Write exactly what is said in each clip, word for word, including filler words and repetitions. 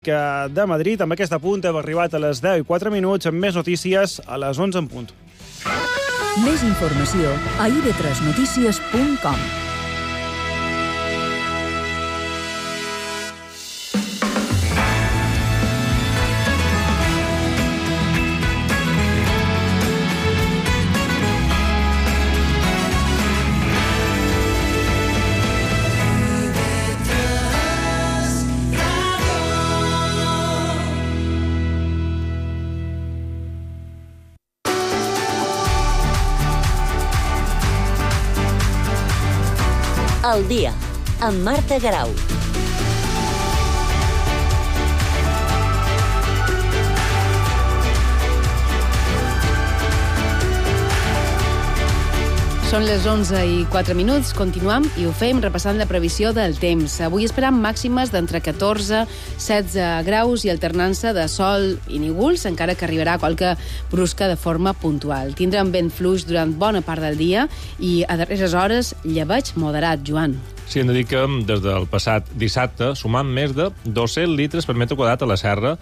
de Madrid. Amb aquesta punt hem arribat a les deu i quatre minuts, amb més notícies a les onze en punt. Més informació a i ve tres notícies punt com. El dia, amb Marta Garau. Són les onze i quatre minuts, continuem i ho fem repassant la previsió del temps. Avui esperam màximes d'entre catorze i setze graus i alternança de sol i núvols, encara que arribarà qualque brusca de forma puntual. Tindrem vent fluix durant bona part del dia i a darreres hores llebeig moderat, Joan. Sí, hem de dir que des del passat dissabte sumam més de dos-cents litres per metre quadrat a la serra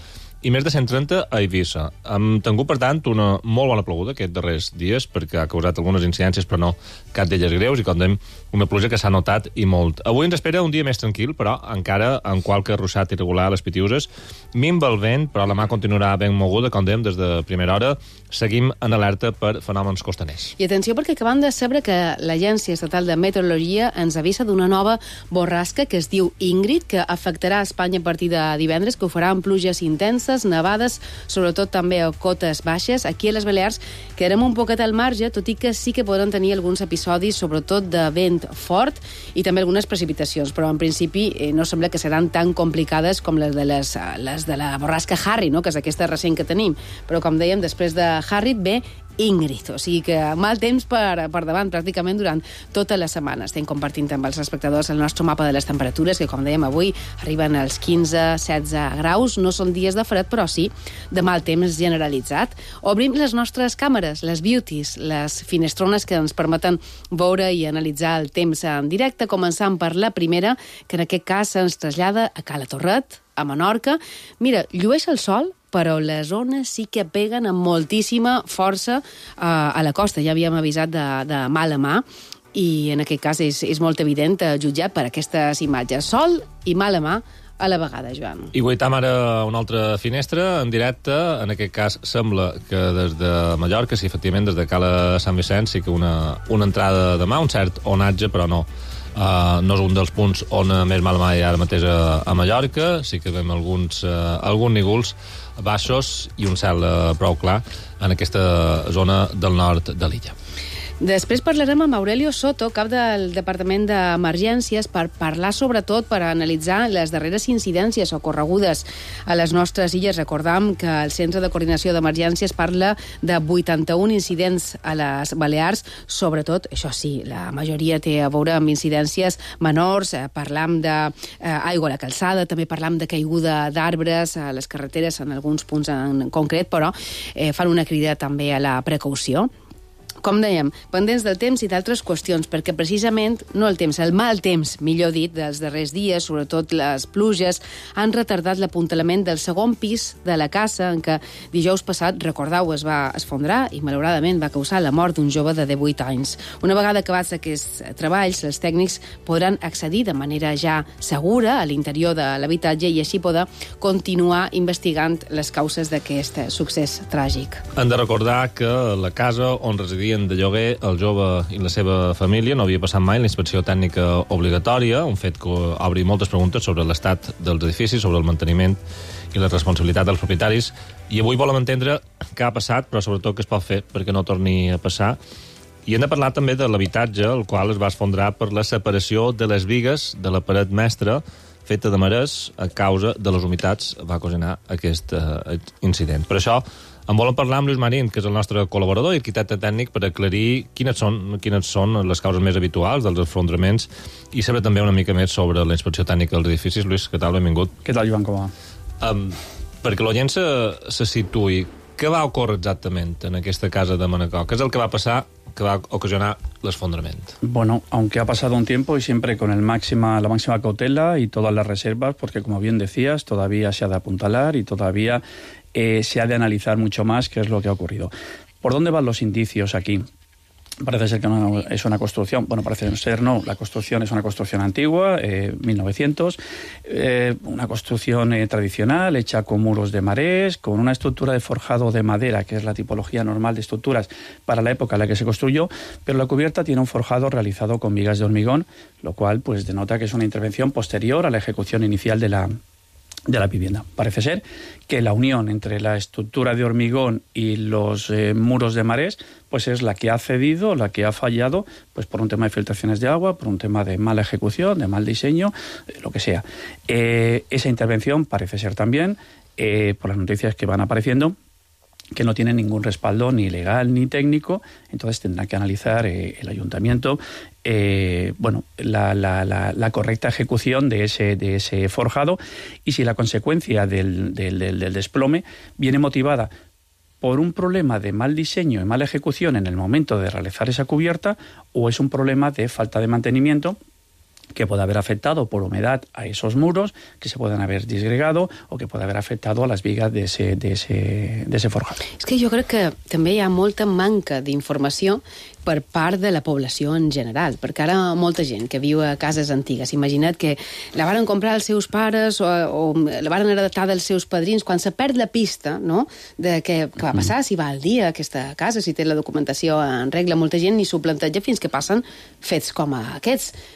i més de cent trenta a Eivissa. Hem tingut, per tant, una molt bona ploguda aquests darrers dies, perquè ha causat algunes incidències, però no cap d'elles greus, i com dèiem, una pluja que s'ha notat i molt. Avui ens espera un dia més tranquil, però encara amb qualque ruixat irregular a les Pitiuses. Minva el vent, però la mà continuarà ben moguda, com dèiem, des de primera hora. Seguim en alerta per fenòmens costaners. I atenció, perquè acabem de saber que l'Agència Estatal de Meteorologia ens avisa d'una nova borrasca que es diu Ingrid, que afectarà Espanya a partir de divendres, que ho farà amb pluges intenses, nevades, sobretot també a cotes baixes. Aquí a les Balears quedarem un poquet al marge, tot i que sí que podran tenir alguns episodis, sobretot de vent fort i també algunes precipitacions, però en principi eh, no sembla que seran tan complicades com les de, les, les de la borrasca Harry, no? Que és aquesta recent que tenim. Però com dèiem, després de Harry ve Ingrid, o sigui que mal temps per, per davant pràcticament durant tota la setmana. Estem compartint amb els espectadors el nostre mapa de les temperatures, que com dèiem avui arriben als quinze a setze graus. No són dies de fred, però sí de mal temps generalitzat. Obrim les nostres càmeres, les beauties, les finestrones que ens permeten veure i analitzar el temps en directe, començant per la primera, que en aquest cas ens trasllada a Cala Torret, a Menorca. Mira, llueix el sol, però les ones sí que peguen amb moltíssima força uh, a la costa. Ja havíem avisat de, de mala mà, i en aquest cas és, és molt evident, uh, jutjat per aquestes imatges. Sol i mala mà a la vegada, Joan. I guaitam ara una altra finestra en directe. En aquest cas sembla que des de Mallorca, sí, efectivament, des de Cala Sant Vicenç, sí que una, una entrada de mà, un cert onatge, però no. Uh, no és un dels punts on més mal mai ara mateix a, a Mallorca. Sí que veiem alguns, uh, alguns nígols baixos i un cel uh, prou clar en aquesta zona del nord de l'illa. Després parlarem amb Aurelio Soto, cap del Departament d'Emergències, per parlar sobretot, per analitzar les darreres incidències ocorregudes a les nostres illes. Recordam que el Centre de Coordinació d'Emergències parla de vuitanta-un incidents a les Balears, sobretot, això sí, la majoria té a veure amb incidències menors. Parlam d'aigua a la calçada, també parlam de caiguda d'arbres a les carreteres en alguns punts en concret, però eh, fan una crida també a la precaució. Com dèiem, pendents del temps i d'altres qüestions, perquè precisament, no el temps, el mal temps, millor dit, dels darrers dies, sobretot les pluges, han retardat l'apuntalament del segon pis de la casa, en què dijous passat, recordeu, es va esfondrar i malauradament va causar la mort d'un jove de divuit anys. Una vegada acabats aquests treballs, els tècnics podran accedir de manera ja segura a l'interior de l'habitatge i així poder continuar investigant les causes d'aquest succés tràgic. Hem de recordar que la casa on residien de lloguer el jove i la seva família no havia passat mai la inspecció tècnica obligatòria, un fet que obre moltes preguntes sobre l'estat dels edificis, sobre el manteniment i la responsabilitat dels propietaris, i avui volem entendre què ha passat, però sobretot què es pot fer perquè no torni a passar. I hem de parlar també de l'habitatge, el qual es va esfondrar per la separació de les bigues de la paret mestra feta de marès a causa de les humitats va ocasionar aquest uh, incident. Per això en volem parlar amb Lluís Marín, que és el nostre col·laborador i arquitecte tècnic, per aclarir quines són, quines són les causes més habituals dels esfondraments i saber també una mica més sobre la inspecció tècnica dels edificis. Lluís, què tal? Benvingut. Què tal, Joan, com va? Um, perquè l'oient se, se situï, Què va ocórrer exactament en aquesta casa de Manacor? Què és el que va passar que va ocasionar l'esfondrament? Bueno, aunque ha pasado un tiempo y siempre con el máxima, la máxima cautela y todas las reservas, porque como bien decías, todavía se ha de apuntalar y todavía eh, se ha de analizar mucho más qué es lo que ha ocurrido. ¿Por dónde van los indicios aquí? Parece ser que no es una construcción, bueno, parece ser no, la construcción es una construcción antigua, eh, mil novecientos, eh, una construcción eh, tradicional, hecha con muros de marés, con una estructura de forjado de madera, que es la tipología normal de estructuras para la época en la que se construyó, pero la cubierta tiene un forjado realizado con vigas de hormigón, lo cual pues denota que es una intervención posterior a la ejecución inicial de la de la vivienda. Parece ser que la unión entre la estructura de hormigón y los eh, muros de marés pues es la que ha cedido, la que ha fallado, pues por un tema de filtraciones de agua, por un tema de mala ejecución, de mal diseño, eh, lo que sea. Eh, esa intervención parece ser también, eh, por las noticias que van apareciendo, que no tiene ningún respaldo ni legal ni técnico, entonces tendrá que analizar eh, el ayuntamiento eh, bueno, la, la, la, la correcta ejecución de ese, de ese forjado y si la consecuencia del, del, del, del desplome viene motivada por un problema de mal diseño y mala ejecución en el momento de realizar esa cubierta o es un problema de falta de mantenimiento que puede haber afectado por humedad a esos muros, que se puedan haver disgregado o que puede haver afectado a les bigues d'ese de ese, de ese forjat. És que jo crec que també hi ha molta manca d'informació per part de la població en general, perquè ara molta gent que viu a cases antigues, imagina't que la varen comprar els seus pares o, o la varen heretar dels seus padrins, quan se perd la pista, no?, de què, què va passar, si va al dia aquesta casa, si té la documentació en regla, molta gent ni s'ho planteja fins que passen fets com aquests.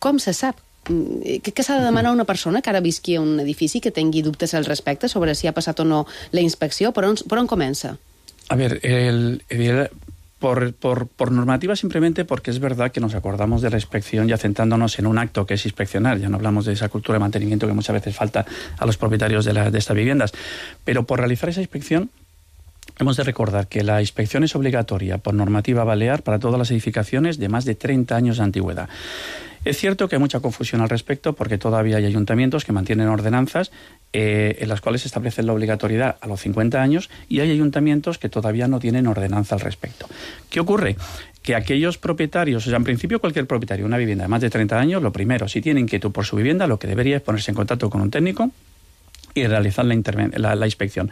Com se sap? Què s'ha de demanar a una persona que ara visqui a un edifici que tingui dubtes al respecte sobre si ha passat o no la inspecció? Per on, per on comença? A ver, el, el, por, por, por normativa simplemente porque es verdad que nos acordamos de la inspección ya centrándonos en un acto que es inspeccionar, ya no hablamos de esa cultura de mantenimiento que muchas veces falta a los propietarios de, la, de estas viviendas, pero por realizar esa inspección hemos de recordar que la inspección es obligatoria por normativa balear para todas las edificaciones de más de treinta años de antigüedad. Es cierto que hay mucha confusión al respecto porque todavía hay ayuntamientos que mantienen ordenanzas eh, en las cuales se establece la obligatoriedad a los cincuenta años y hay ayuntamientos que todavía no tienen ordenanza al respecto. ¿Qué ocurre? Que aquellos propietarios, o sea, en principio cualquier propietario de una vivienda de más de treinta años, lo primero, si tiene inquietud por su vivienda, lo que debería es ponerse en contacto con un técnico y realizar la, la, la inspección,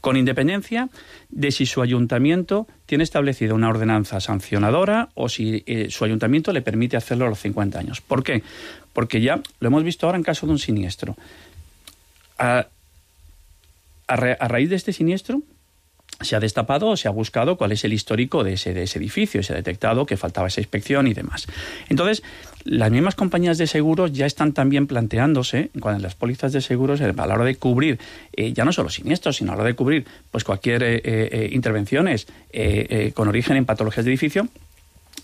con independencia de si su ayuntamiento tiene establecida una ordenanza sancionadora o si eh, su ayuntamiento le permite hacerlo a los cincuenta años. ¿Por qué? Porque ya lo hemos visto ahora en caso de un siniestro. A, a, ra, a raíz de este siniestro se ha destapado o se ha buscado cuál es el histórico de ese, de ese edificio, se ha detectado que faltaba esa inspección y demás. Entonces, las mismas compañías de seguros ya están también planteándose, en las pólizas de seguros, a la hora de cubrir, eh, ya no solo siniestros, sino a la hora de cubrir pues cualquier eh, eh, intervenciones eh, eh, con origen en patologías de edificio,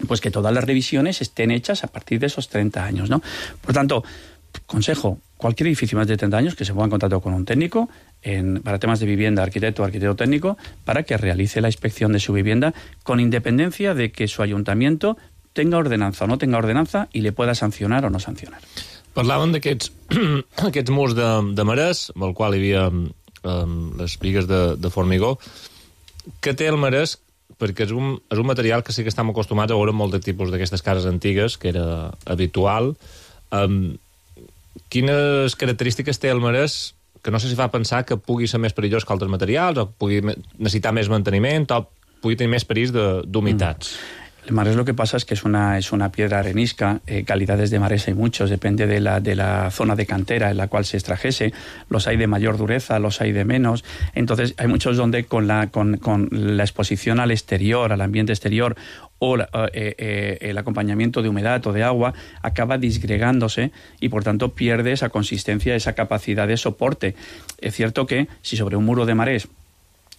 pues que todas las revisiones estén hechas a partir de esos treinta años, ¿no? Por tanto, consejo, cualquier edificio más de treinta años que se ponga en contacto con un técnico en, para temas de vivienda, arquitecto o arquitecto técnico, para que realice la inspección de su vivienda con independencia de que su ayuntamiento tenga ordenanza o no tenga ordenanza i le pueda sancionar o no sancionar. Parlàvem d'aquests aquests murs de, de marès, amb el qual hi havia um, les bigues de, de formigó. Què té el marès? Perquè és un, és un material que sí que estem acostumats a veure en molts de tipus d'aquestes cases antigues, que era habitual. Um, quines característiques té el marès que no sé si fa pensar que pugui ser més perillós que altres materials, o pugui necessitar més manteniment, o pugui tenir més perills d'humitats? Mm. El marés lo que pasa es que es una, es una piedra arenisca, eh, calidades de marés hay muchos, depende de la, de la zona de cantera en la cual se extrajese, los hay de mayor dureza, los hay de menos, entonces hay muchos donde con la, con, con la exposición al exterior, al ambiente exterior, o la, eh, eh, el acompañamiento de humedad o de agua acaba disgregándose y por tanto pierde esa consistencia, esa capacidad de soporte. Es cierto que si sobre un muro de marés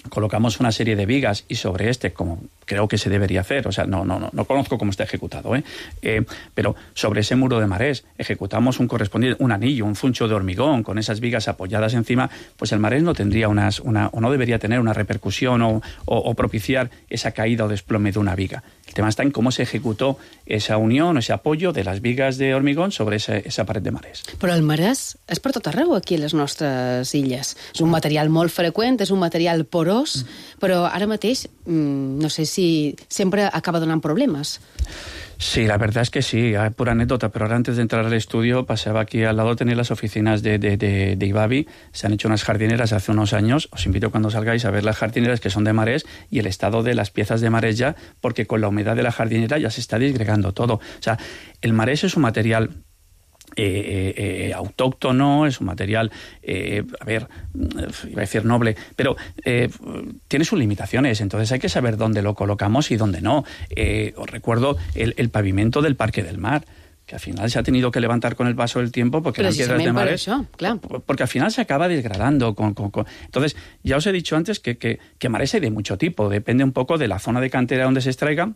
colocamos una serie de vigas y sobre este, como creo que se debería hacer, o sea, no, no, no, no conozco cómo está ejecutado, ¿eh? Eh, pero sobre ese muro de marés ejecutamos un correspondiente, un anillo, un zuncho de hormigón con esas vigas apoyadas encima, pues el marés no tendría unas, una, o no debería tener una repercusión o, o, o propiciar esa caída o desplome de una viga. El tema está en cómo se ejecutó esa unión, ese apoyo de las vigas de hormigón sobre esa, esa paret de marès. Però el marès és per tot arreu aquí a les nostres illes. És un material molt freqüent, és un material porós, mm. però ara mateix no sé si sempre acaba donant problemes. Sí, la verdad es que sí, hay pura anécdota, pero ahora antes de entrar al estudio pasaba aquí al lado, tenía las oficinas de, de, de, de Ibavi, se han hecho unas jardineras hace unos años, os invito cuando salgáis a ver las jardineras que son de marés y el estado de las piezas de marés ya, porque con la humedad de la jardinera ya se está disgregando todo. O sea, el marés es un material Eh, eh, autóctono, es un material, eh, a ver, iba a decir noble, pero eh, tiene sus limitaciones, entonces hay que saber dónde lo colocamos y dónde no. Eh, os recuerdo el, el pavimento del Parque del Mar, que al final se ha tenido que levantar con el paso del tiempo porque eran piedras de marés, eso, claro. porque al final se acaba desgradando. Con, con, con... Entonces, ya os he dicho antes que, que, que marés hay de mucho tipo, depende un poco de la zona de cantera donde se extraiga,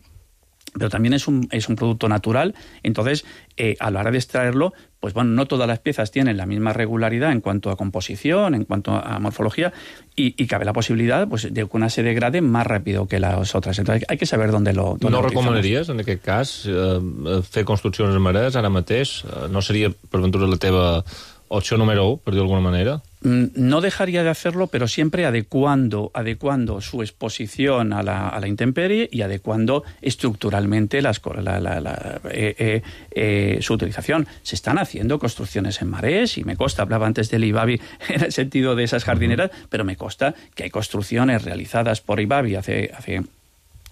pero también es un, es un producto natural, entonces eh, a la hora de extraerlo, pues bueno, no todas las piezas tienen la misma regularidad en cuanto a composición, en cuanto a morfología, y, y cabe la posibilidad pues, de que una se degrade más rápido que las otras. Entonces hay que saber dónde lo dónde No lo recomanaries, en aquest cas, eh, fer construccions en marès ara mateix? No seria, per ventura, la teva opció número u, per dir d'alguna manera? No dejaría de hacerlo, pero siempre adecuando, adecuando su exposición a la, a la intemperie y adecuando estructuralmente las, la, la, la, eh, eh, eh, su utilización. Se están haciendo construcciones en marés y me consta, hablaba antes del Ibavi en el sentido de esas jardineras, pero me consta que hay construcciones realizadas por Ibavi hace... hace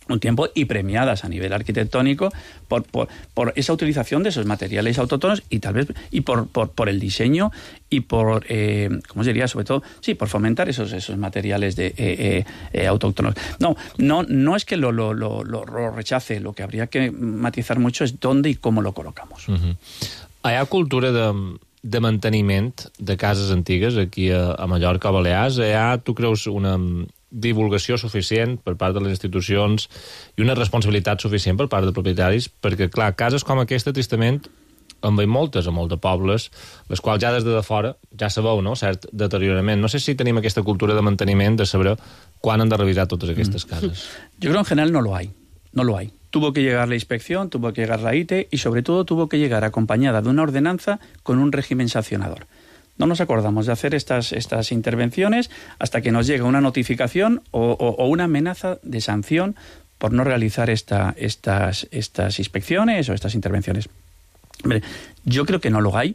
un tiempo y premiadas a nivel arquitectónico por, por, por esa utilización de esos materiales autóctonos y tal vez y por, por, por el diseño y por, eh, ¿cómo se diría? Sobre todo, sí, por fomentar esos, esos materiales de, eh, eh, autóctonos. No, no, no es que lo, lo, lo, lo rechace, lo que habría que matizar mucho es dónde y cómo lo colocamos. Uh-huh. Hi ha cultura de, de manteniment de cases antigues aquí a, a Mallorca, a Balears? Hi ha, tu creus, una divulgació suficient per part de les institucions i una responsabilitat suficient per part de propietaris, perquè, clar, cases com aquesta, tristament, en veiem moltes a molts de pobles, les quals ja des de fora ja sabeu, no?, cert deteriorament. No sé si tenim aquesta cultura de manteniment, de saber quan han de revisar totes aquestes cases. Yo creo en general no lo hay, no lo hay. Tuvo que llegar la inspección, tuvo que llegar la I T E y sobre todo tuvo que llegar acompañada de una ordenanza con un régimen sancionador. No nos acordamos de hacer estas, estas intervenciones hasta que nos llega una notificación o, o, o una amenaza de sanción por no realizar esta, estas, estas inspecciones o estas intervenciones. Hombre, yo creo que no lo hay.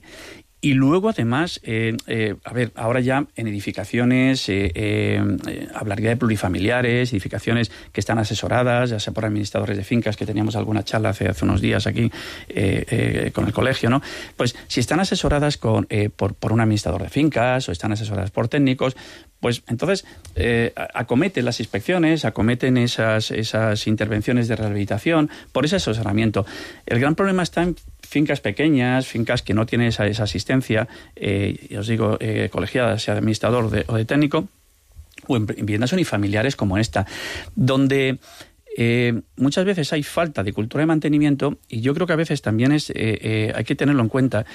Y luego, además, eh, eh, a ver, ahora ya en edificaciones, eh, eh, hablaría de plurifamiliares, edificaciones que están asesoradas, ya sea por administradores de fincas, que teníamos alguna charla hace, hace unos días aquí eh, eh, con el colegio, ¿no? Pues si están asesoradas con, eh, por, por un administrador de fincas o están asesoradas por técnicos, pues entonces eh, acometen las inspecciones, acometen esas, esas intervenciones de rehabilitación por ese asesoramiento. El gran problema está en fincas pequeñas, fincas que no tienen esa, esa asistencia, eh, os digo, eh, colegiada, sea de administrador de, o de técnico, o en viviendas unifamiliares como esta, donde eh, muchas veces hay falta de cultura de mantenimiento y yo creo que a veces también es, eh, eh, hay que tenerlo en cuenta,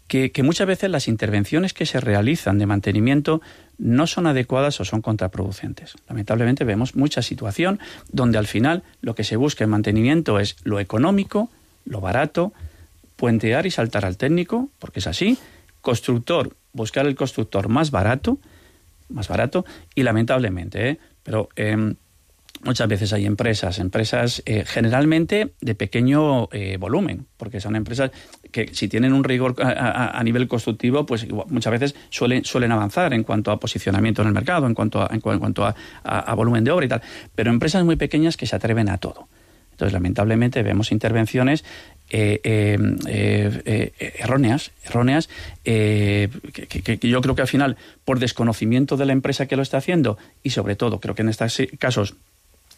que, que muchas veces las intervenciones que se realizan de mantenimiento no son adecuadas o son contraproducentes. Lamentablemente vemos mucha situación donde al final lo que se busca en mantenimiento es lo económico, lo barato, puentear y saltar al técnico, porque es así, constructor, buscar el constructor más barato, más barato, y lamentablemente, ¿eh? pero eh, muchas veces hay empresas, empresas eh, generalmente de pequeño eh, volumen, porque son empresas que si tienen un rigor a, a, a nivel constructivo, pues muchas veces suelen, suelen avanzar en cuanto a posicionamiento en el mercado, en cuanto a, en cuanto a, a, a volumen de obra y tal, pero empresas muy pequeñas que se atreven a todo. Entonces, lamentablemente, vemos intervenciones eh, eh, eh, eh, erróneas, erróneas eh, que, que, que yo creo que al final, por desconocimiento de la empresa que lo está haciendo y sobre todo, creo que en estos casos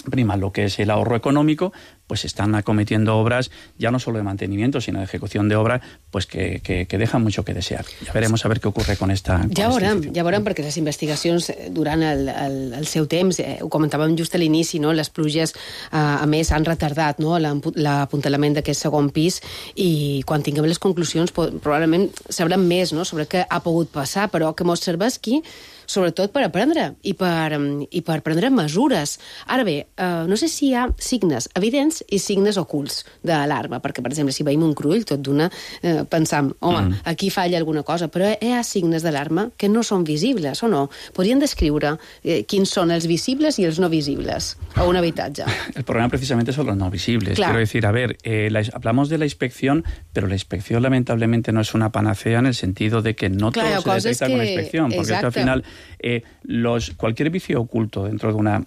prima lo que es el ahorro económico, pues están acometiendo obras ya no solo de mantenimiento, sino de ejecución de obra, pues que, que, que dejan mucho que desear. Ja veremos a ver què ocorre con esta... Con ja veurem, ja veurem, perquè les investigacions durant el, el, el seu temps, eh, ho comentàvem just a l'inici, no? Les pluges, eh, a més, han retardat, no? l'apuntalament d'aquest segon pis i quan tinguem les conclusions probablement sabrem més, no? Sobre què ha pogut passar, però que mos serveix aquí sobretot per aprendre i per, i per prendre mesures. Ara bé, eh, no sé si hi ha signes evidents i signes ocults d'alarma, perquè, per exemple, si veiem un crull, tot d'una, eh, pensam, home, mm. aquí falla alguna cosa, però hi ha signes d'alarma que no són visibles, o no? Podrien descriure eh, quins són els visibles i els no visibles a un habitatge. El problema precisamente son los no visibles. Claro. Quiero decir, a ver, eh, la, hablamos de la inspección, pero la inspección lamentablemente no es una panacea en el sentido de que no claro, todo se detecta que... con la inspección, porque es que al final eh, los, cualquier vicio oculto dentro de una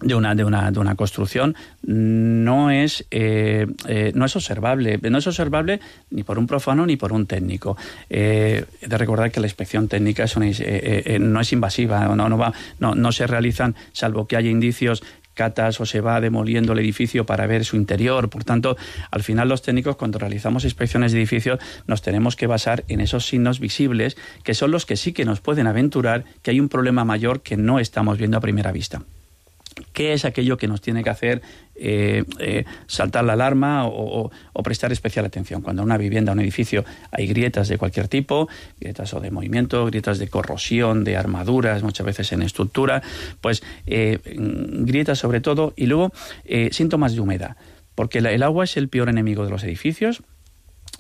de una de una de una construcción no es eh, eh, no es observable no es observable ni por un profano ni por un técnico. Eh, he de recordar que la inspección técnica es una, eh, eh, no es invasiva, no no va no no se realizan salvo que haya indicios, catas, o se va demoliendo el edificio para ver su interior. Por tanto, al final los técnicos, cuando realizamos inspecciones de edificios, nos tenemos que basar en esos signos visibles, que son los que sí que nos pueden aventurar que hay un problema mayor que no estamos viendo a primera vista. ¿Qué es aquello que nos tiene que hacer eh, eh, saltar la alarma o, o, o prestar especial atención? Cuando en una vivienda, un edificio, hay grietas de cualquier tipo, grietas o de movimiento, grietas de corrosión, de armaduras, muchas veces en estructura, pues eh, grietas sobre todo, y luego eh, síntomas de humedad, porque la, el agua es el peor enemigo de los edificios.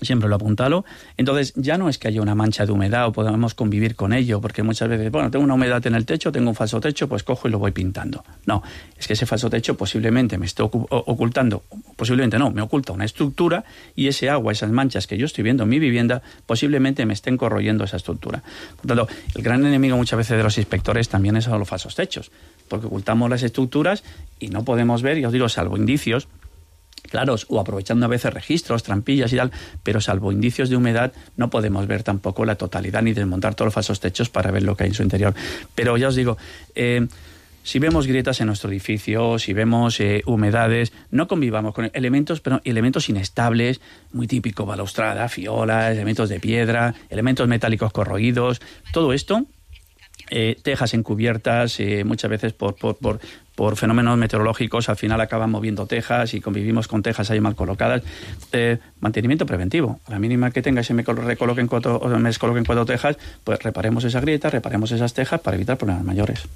Siempre lo apuntalo. Entonces, ya no es que haya una mancha de humedad o podamos convivir con ello, porque muchas veces, bueno, tengo una humedad en el techo, tengo un falso techo, pues cojo y lo voy pintando. No, es que ese falso techo posiblemente me esté ocultando, posiblemente no, me oculta una estructura y ese agua, esas manchas que yo estoy viendo en mi vivienda, posiblemente me estén corroyendo esa estructura. Por tanto, el gran enemigo muchas veces de los inspectores también son los falsos techos, porque ocultamos las estructuras y no podemos ver, ya os digo, salvo indicios, claro, o aprovechando a veces registros, trampillas y tal, pero salvo indicios de humedad no podemos ver tampoco la totalidad ni desmontar todos los falsos techos para ver lo que hay en su interior. Pero ya os digo, eh, si vemos grietas en nuestro edificio, si vemos eh, humedades, no convivamos con elementos, pero elementos inestables, muy típico, balaustrada, fiolas, elementos de piedra, elementos metálicos corroídos, todo esto, eh, tejas encubiertas, eh, muchas veces por, por, por por fenómenos meteorológicos, al final acaban moviendo tejas y convivimos con tejas ahí mal colocadas. Eh, mantenimiento preventivo. A la mínima que tenga y se me recoloquen cuatro, o me descoloquen cuatro tejas, pues reparemos esa grieta, reparemos esas tejas para evitar problemas mayores.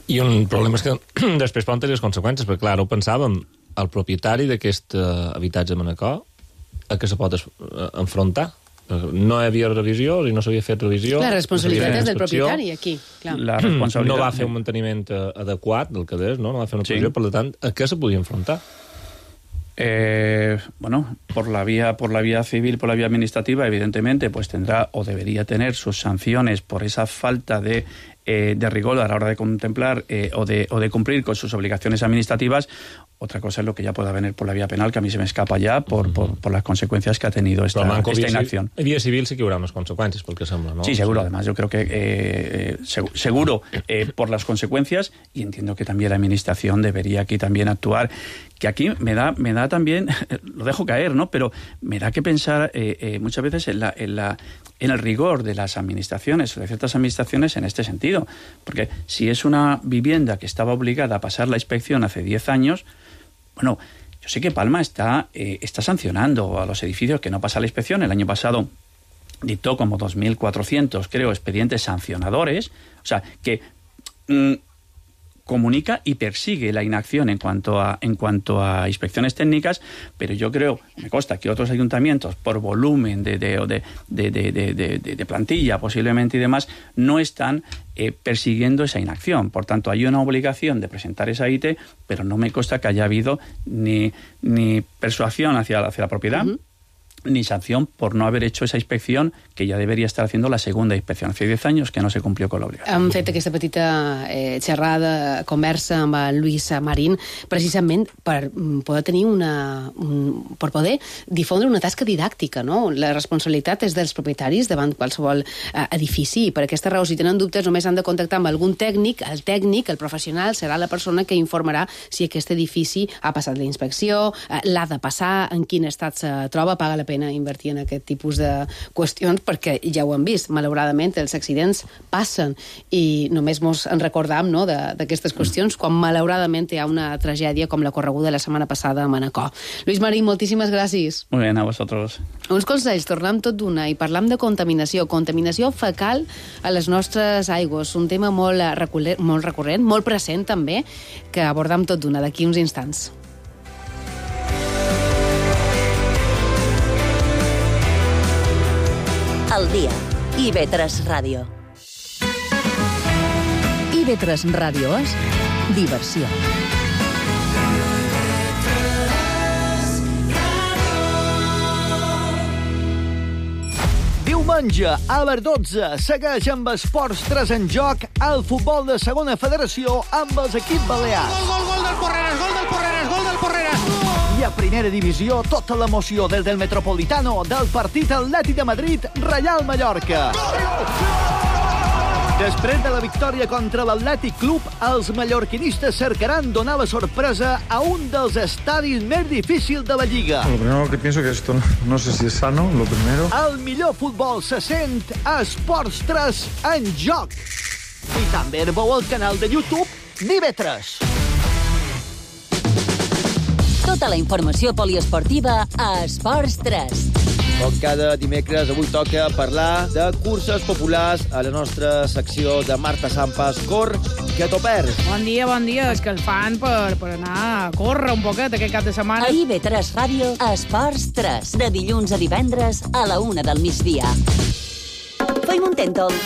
I un problema és que després poden tenir les conseqüències, perquè clar, ho pensàvem, el propietari d'aquest habitatge a Manacor, a què se pot enfrontar? No hi havia revisió i no s'havia fet revisió. La responsabilitat és del propietari, aquí. Clar. La responsabilitat... No va fer un manteniment adequat del que és, no? No va fer una revisió, sí. Per tant, a què se podia enfrontar? Eh, bueno, por la vía por la vía civil, por la vía administrativa, evidentemente, pues tendrá o debería tener sus sanciones por esa falta de, eh, de rigor a la hora de contemplar eh, o, de, o de cumplir con sus obligaciones administrativas. Otra cosa es lo que ya pueda venir por la vía penal, que a mí se me escapa ya por, uh-huh. por, por las consecuencias que ha tenido esta, esta inacción. En vía civil sí que habrá más consecuencias, porque sembla, ¿no? Sí, seguro, además. Yo creo que eh, seguro eh, por las consecuencias, y entiendo que también la Administración debería aquí también actuar, que aquí me da me da también, lo dejo caer, ¿no? Pero me da que pensar eh, eh, muchas veces en la, en la en el rigor de las administraciones, de ciertas administraciones en este sentido. Porque si es una vivienda que estaba obligada a pasar la inspección hace diez años, bueno, yo sé que Palma está, eh, está sancionando a los edificios que no pasan la inspección. El año pasado dictó como dos mil cuatrocientos, creo, expedientes sancionadores. O sea, que mmm, comunica y persigue la inacción en cuanto a en cuanto a inspecciones técnicas, pero yo creo, me consta que otros ayuntamientos, por volumen de, de, de, de, de, de, de, de plantilla posiblemente y demás, no están eh, persiguiendo esa inacción. Por tanto, hay una obligación de presentar esa I T, pero no me consta que haya habido ni, ni persuasión hacia, hacia la propiedad, uh-huh. ni sanción por no haver hecho esa inspección, que ja deberia estar haciendo la segunda inspección. Hace diez años que no se cumplió con la obligación. Hem fet aquesta petita eh, xerrada, conversa amb el Lluís Marín, precisament per poder tenir una... Un, per poder difondre una tasca didàctica, no? La responsabilitat és dels propietaris davant qualsevol eh, edifici, i per aquesta raó, si tenen dubtes, només han de contactar amb algun tècnic. El tècnic, el professional, serà la persona que informarà si aquest edifici ha passat la inspecció, eh, l'ha de passar, en quin estat se troba, paga la pena invertir en aquest tipus de qüestions, perquè ja ho hem vist, malauradament els accidents passen i només mos en recordam, no, d'aquestes qüestions quan malauradament hi ha una tragèdia com la correguda la setmana passada a Manacor. Lluís Marín, moltíssimes gràcies. Muy bien, a vosotros. Uns consells, tornem tot d'una i parlam de contaminació, contaminació fecal a les nostres aigües, un tema molt recurrent, molt, recurrent, molt present també, que abordam tot d'una d'aquí uns instants. El dia. I ve tres Ràdio. I ve tres Ràdio és diversió. Diumenge, a les dotze, segueix amb Esports tres en joc el futbol de segona federació amb els equips balears. Gol, gol, gol del Porreres, gol del Porreres, gol del Porreres! I a primera divisió, tota l'emoció des del Metropolitano del partit Atlètic de Madrid, Reial Mallorca. Després de la victòria contra l'Atlètic Club, els mallorquinistes cercaran donar la sorpresa a un dels estadis més difícils de la Lliga. Lo primero que pienso que esto no, no sé si es sano, lo primero. El millor futbol se sent a Esports tres en joc. I també veu al canal de YouTube d'I V tres. Tota la informació poliesportiva a Esports tres. Com cada dimecres, avui toca parlar de curses populars a la nostra secció de Marta Sampas. Cor, que t'ho perds. Bon dia, bon dia. És que el fan per, per anar a córrer un poquet aquest cap de setmana. A I V tres Ràdio, Esports tres. De dilluns a divendres a la una del migdia. Fem un Tèntol.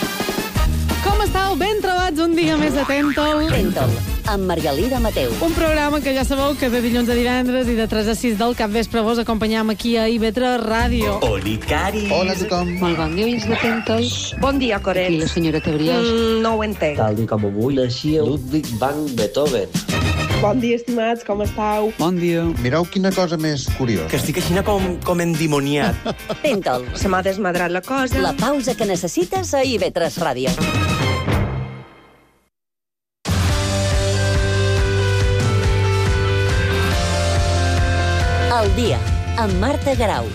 Com estàu? Ben trobats un dia més de Tèntol. Tèntol, amb Margalida Mateu. Un programa que ja sabeu que de dilluns a divendres i de tres a sis del capvespre vos acompanyam aquí a I V tres Ràdio. Oli, Cari. Hola a tothom. Molt bon dia, oients de Tèntol. Bon dia, Coret. Aquí la senyora Tebriós. Mm, no ho entenc. Tal com avui naixia Ludwig van Beethoven. Bon dia, estimats, com estàu? Bon dia. Mireu quina cosa més curiosa. Que estic així com, com endimoniat. Tèntol. Se m'ha desmadrat la cosa. La pausa que necessites a I V tres Ràdio. El dia, amb Marta Garau.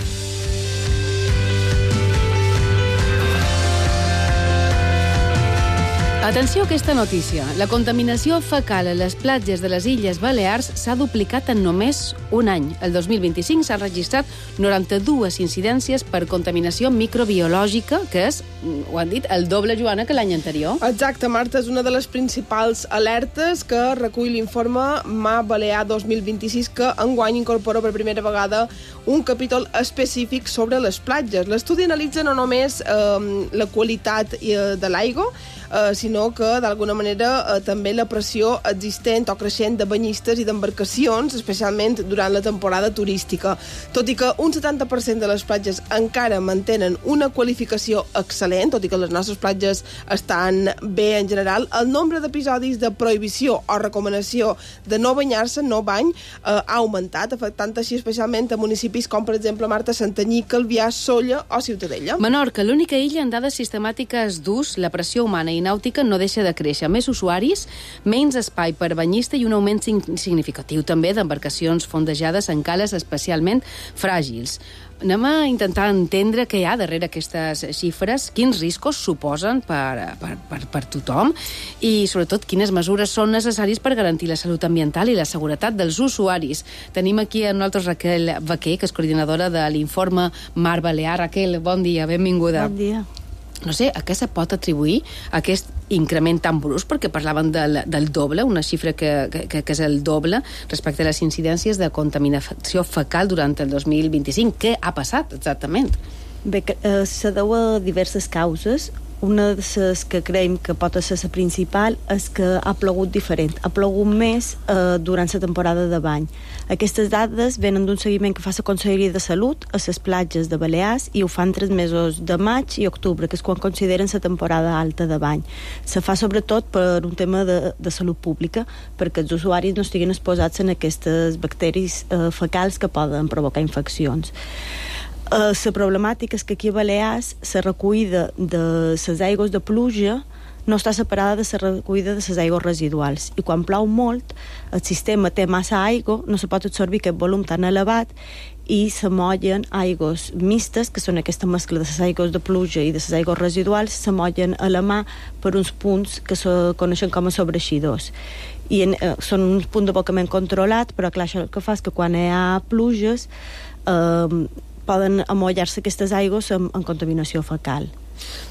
Atenció a aquesta notícia. La contaminació fecal a les platges de les Illes Balears s'ha duplicat en només un any. El dos mil vint-i-cinc s'han registrat noranta-dues incidències per contaminació microbiològica, que és, ho han dit, el doble, Joana, que l'any anterior. Exacte, Marta, és una de les principals alertes que recull l'informe Mar Balear dos mil vint-i-sis, que enguany incorpora per primera vegada un capítol específic sobre les platges. L'estudi analitza no només eh, la qualitat eh, de l'aigua, eh, sinó que, d'alguna manera, eh, també la pressió existent o creixent de banyistes i d'embarcacions, especialment durant la temporada turística. Tot i que un setanta per cent de les platges encara mantenen una qualificació excel·lent, tot i que les nostres platges estan bé en general, el nombre d'episodis de prohibició o recomanació de no banyar-se, no bany, eh, ha augmentat, afectant així especialment a municipis com, per exemple, Marta, Santanyí, Calvià, Sóller o Ciutadella. Menorca, l'única illa en dades sistemàtiques d'ús, la pressió humana i nàutica no deixa de créixer. Més usuaris, menys espai per banyista i un augment significatiu també d'embarcacions fondejades en cales especialment fràgils. Anem a intentar entendre què hi ha darrere aquestes xifres, quins riscos suposen per, per, per, per tothom i, sobretot, quines mesures són necessàries per garantir la salut ambiental i la seguretat dels usuaris. Tenim aquí a nosaltres Raquel Vaquer, que és coordinadora de l'informe Mar Balear. Raquel, bon dia, benvinguda. Bon dia. No sé, a què se pot atribuir aquest increment tan brusc, perquè parlaven del, del doble, una xifra que, que, que és el doble respecte a les incidències de contaminació fecal durant el dos mil vint-i-cinc. Què ha passat exactament? Bé, eh, se deu a diverses causes. Una de les que creiem que pot ser la principal és que ha plogut diferent. Ha plogut més eh, durant la temporada de bany. Aquestes dades venen d'un seguiment que fa la Conselleria de Salut a les platges de Balears i ho fan tres mesos de maig i octubre, que és quan consideren la temporada alta de bany. Se fa sobretot per un tema de, de salut pública, perquè els usuaris no estiguin exposats en aquestes bacteris eh, fecals que poden provocar infeccions. La uh, problemàtica és que aquí a Balears la recollida de les aigües de pluja no està separada de la recollida de les aigües residuals, i quan plou molt el sistema té massa aigua, no se pot absorbir aquest volum tan elevat i s'amollen aigües mistes, que són aquesta mescla de les aigües de pluja i de les aigües residuals, s'amollen a la mà per uns punts que se coneixen com a sobreeixidors. I en, eh, són uns punts d'abocament controlat, però clar, això el que fa és que quan hi ha pluges eh, poden amollar-se aquestes aigües amb, amb contaminació fecal.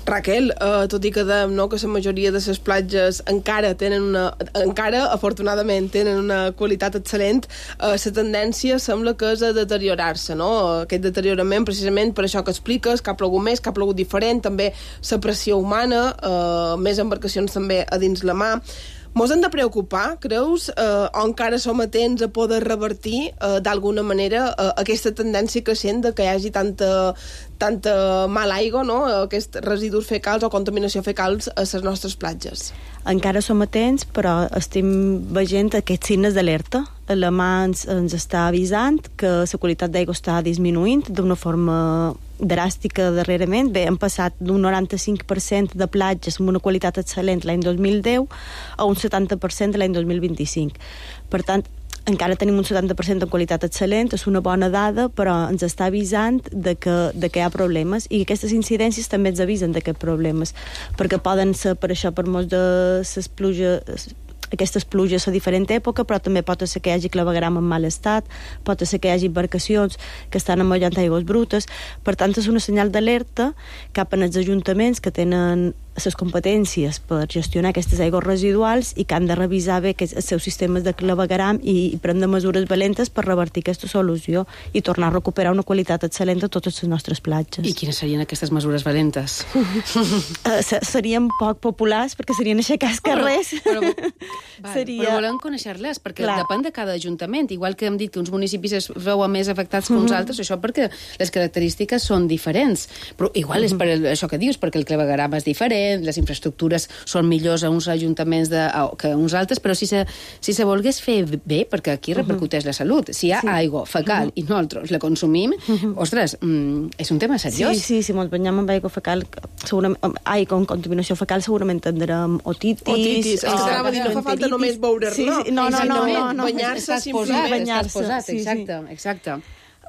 Raquel, eh, tot i que dèiem no, que la majoria de les platges encara tenen una, encara, afortunadament, tenen una qualitat excel·lent, eh, la tendència sembla que és a deteriorar-se, no? Aquest deteriorament, precisament per això que expliques, que ha plogut més, que ha plogut diferent, també la pressió humana, eh, més embarcacions també a dins la mà. Mos hem de preocupar, creus, eh, o encara som atents a poder revertir eh, d'alguna manera eh, aquesta tendència creixent de que hi hagi tanta, tanta mala aigua, no? Aquests residus fecals o contaminació fecals a les nostres platges? Encara som atents, però estem veient aquests signes d'alerta. La mà ens, ens està avisant que la qualitat d'aigua està disminuint d'una forma dràstica darrerament. Bé, hem passat d'un noranta-cinc per cent de platges amb una qualitat excel·lent l'any dos mil deu a un setanta per cent l'any dos mil vint-i-cinc. Per tant, encara tenim un setanta per cent de qualitat excel·lent, és una bona dada, però ens està avisant de que, de que hi ha problemes, i aquestes incidències també ens avisen d'aquests problemes, perquè poden ser per això per molts de les pluges, aquestes pluges a diferent època, però també pot ser que hi hagi clavegueram en mal estat, pot ser que hi hagi embarcacions que estan amollant aigües brutes. Per tant, és una senyal d'alerta cap als ajuntaments que tenen les competències per gestionar aquestes aigües residuals i que han de revisar bé els seus sistemes de clavegueram i, i prendre mesures valentes per revertir aquesta solució i tornar a recuperar una qualitat excel·lent a totes les nostres platges. I quines serien aquestes mesures valentes? uh, serien poc populars, perquè serien aixecar els carrers. Però, però, val, Seria... però volem conèixer-les, perquè Clar. depèn de cada ajuntament. Igual que hem dit que uns municipis es veuen més afectats que uns altres, això perquè les característiques són diferents. Però igual és per això que dius, perquè el clavegueram és diferent, les infraestructures són millors a uns ajuntaments de, a, que a uns altres, però si se, si se volgués fer bé, perquè aquí repercuteix la salut, si hi ha sí. aigua fecal uh-huh. i nosaltres la consumim, uh-huh. ostres, mm, és un tema seriós. Sí, sí, si ens banyem amb aigua fecal, segurament, aigua amb contaminació fecal, segurament tindrem otitis. Otitis, és que t'anava a dir, no fa falta només veure-la. Sí, sí, no, no, no, no, no. Banyar-se simplement. Banyar-se, posat, sí, exacte, sí. exacte.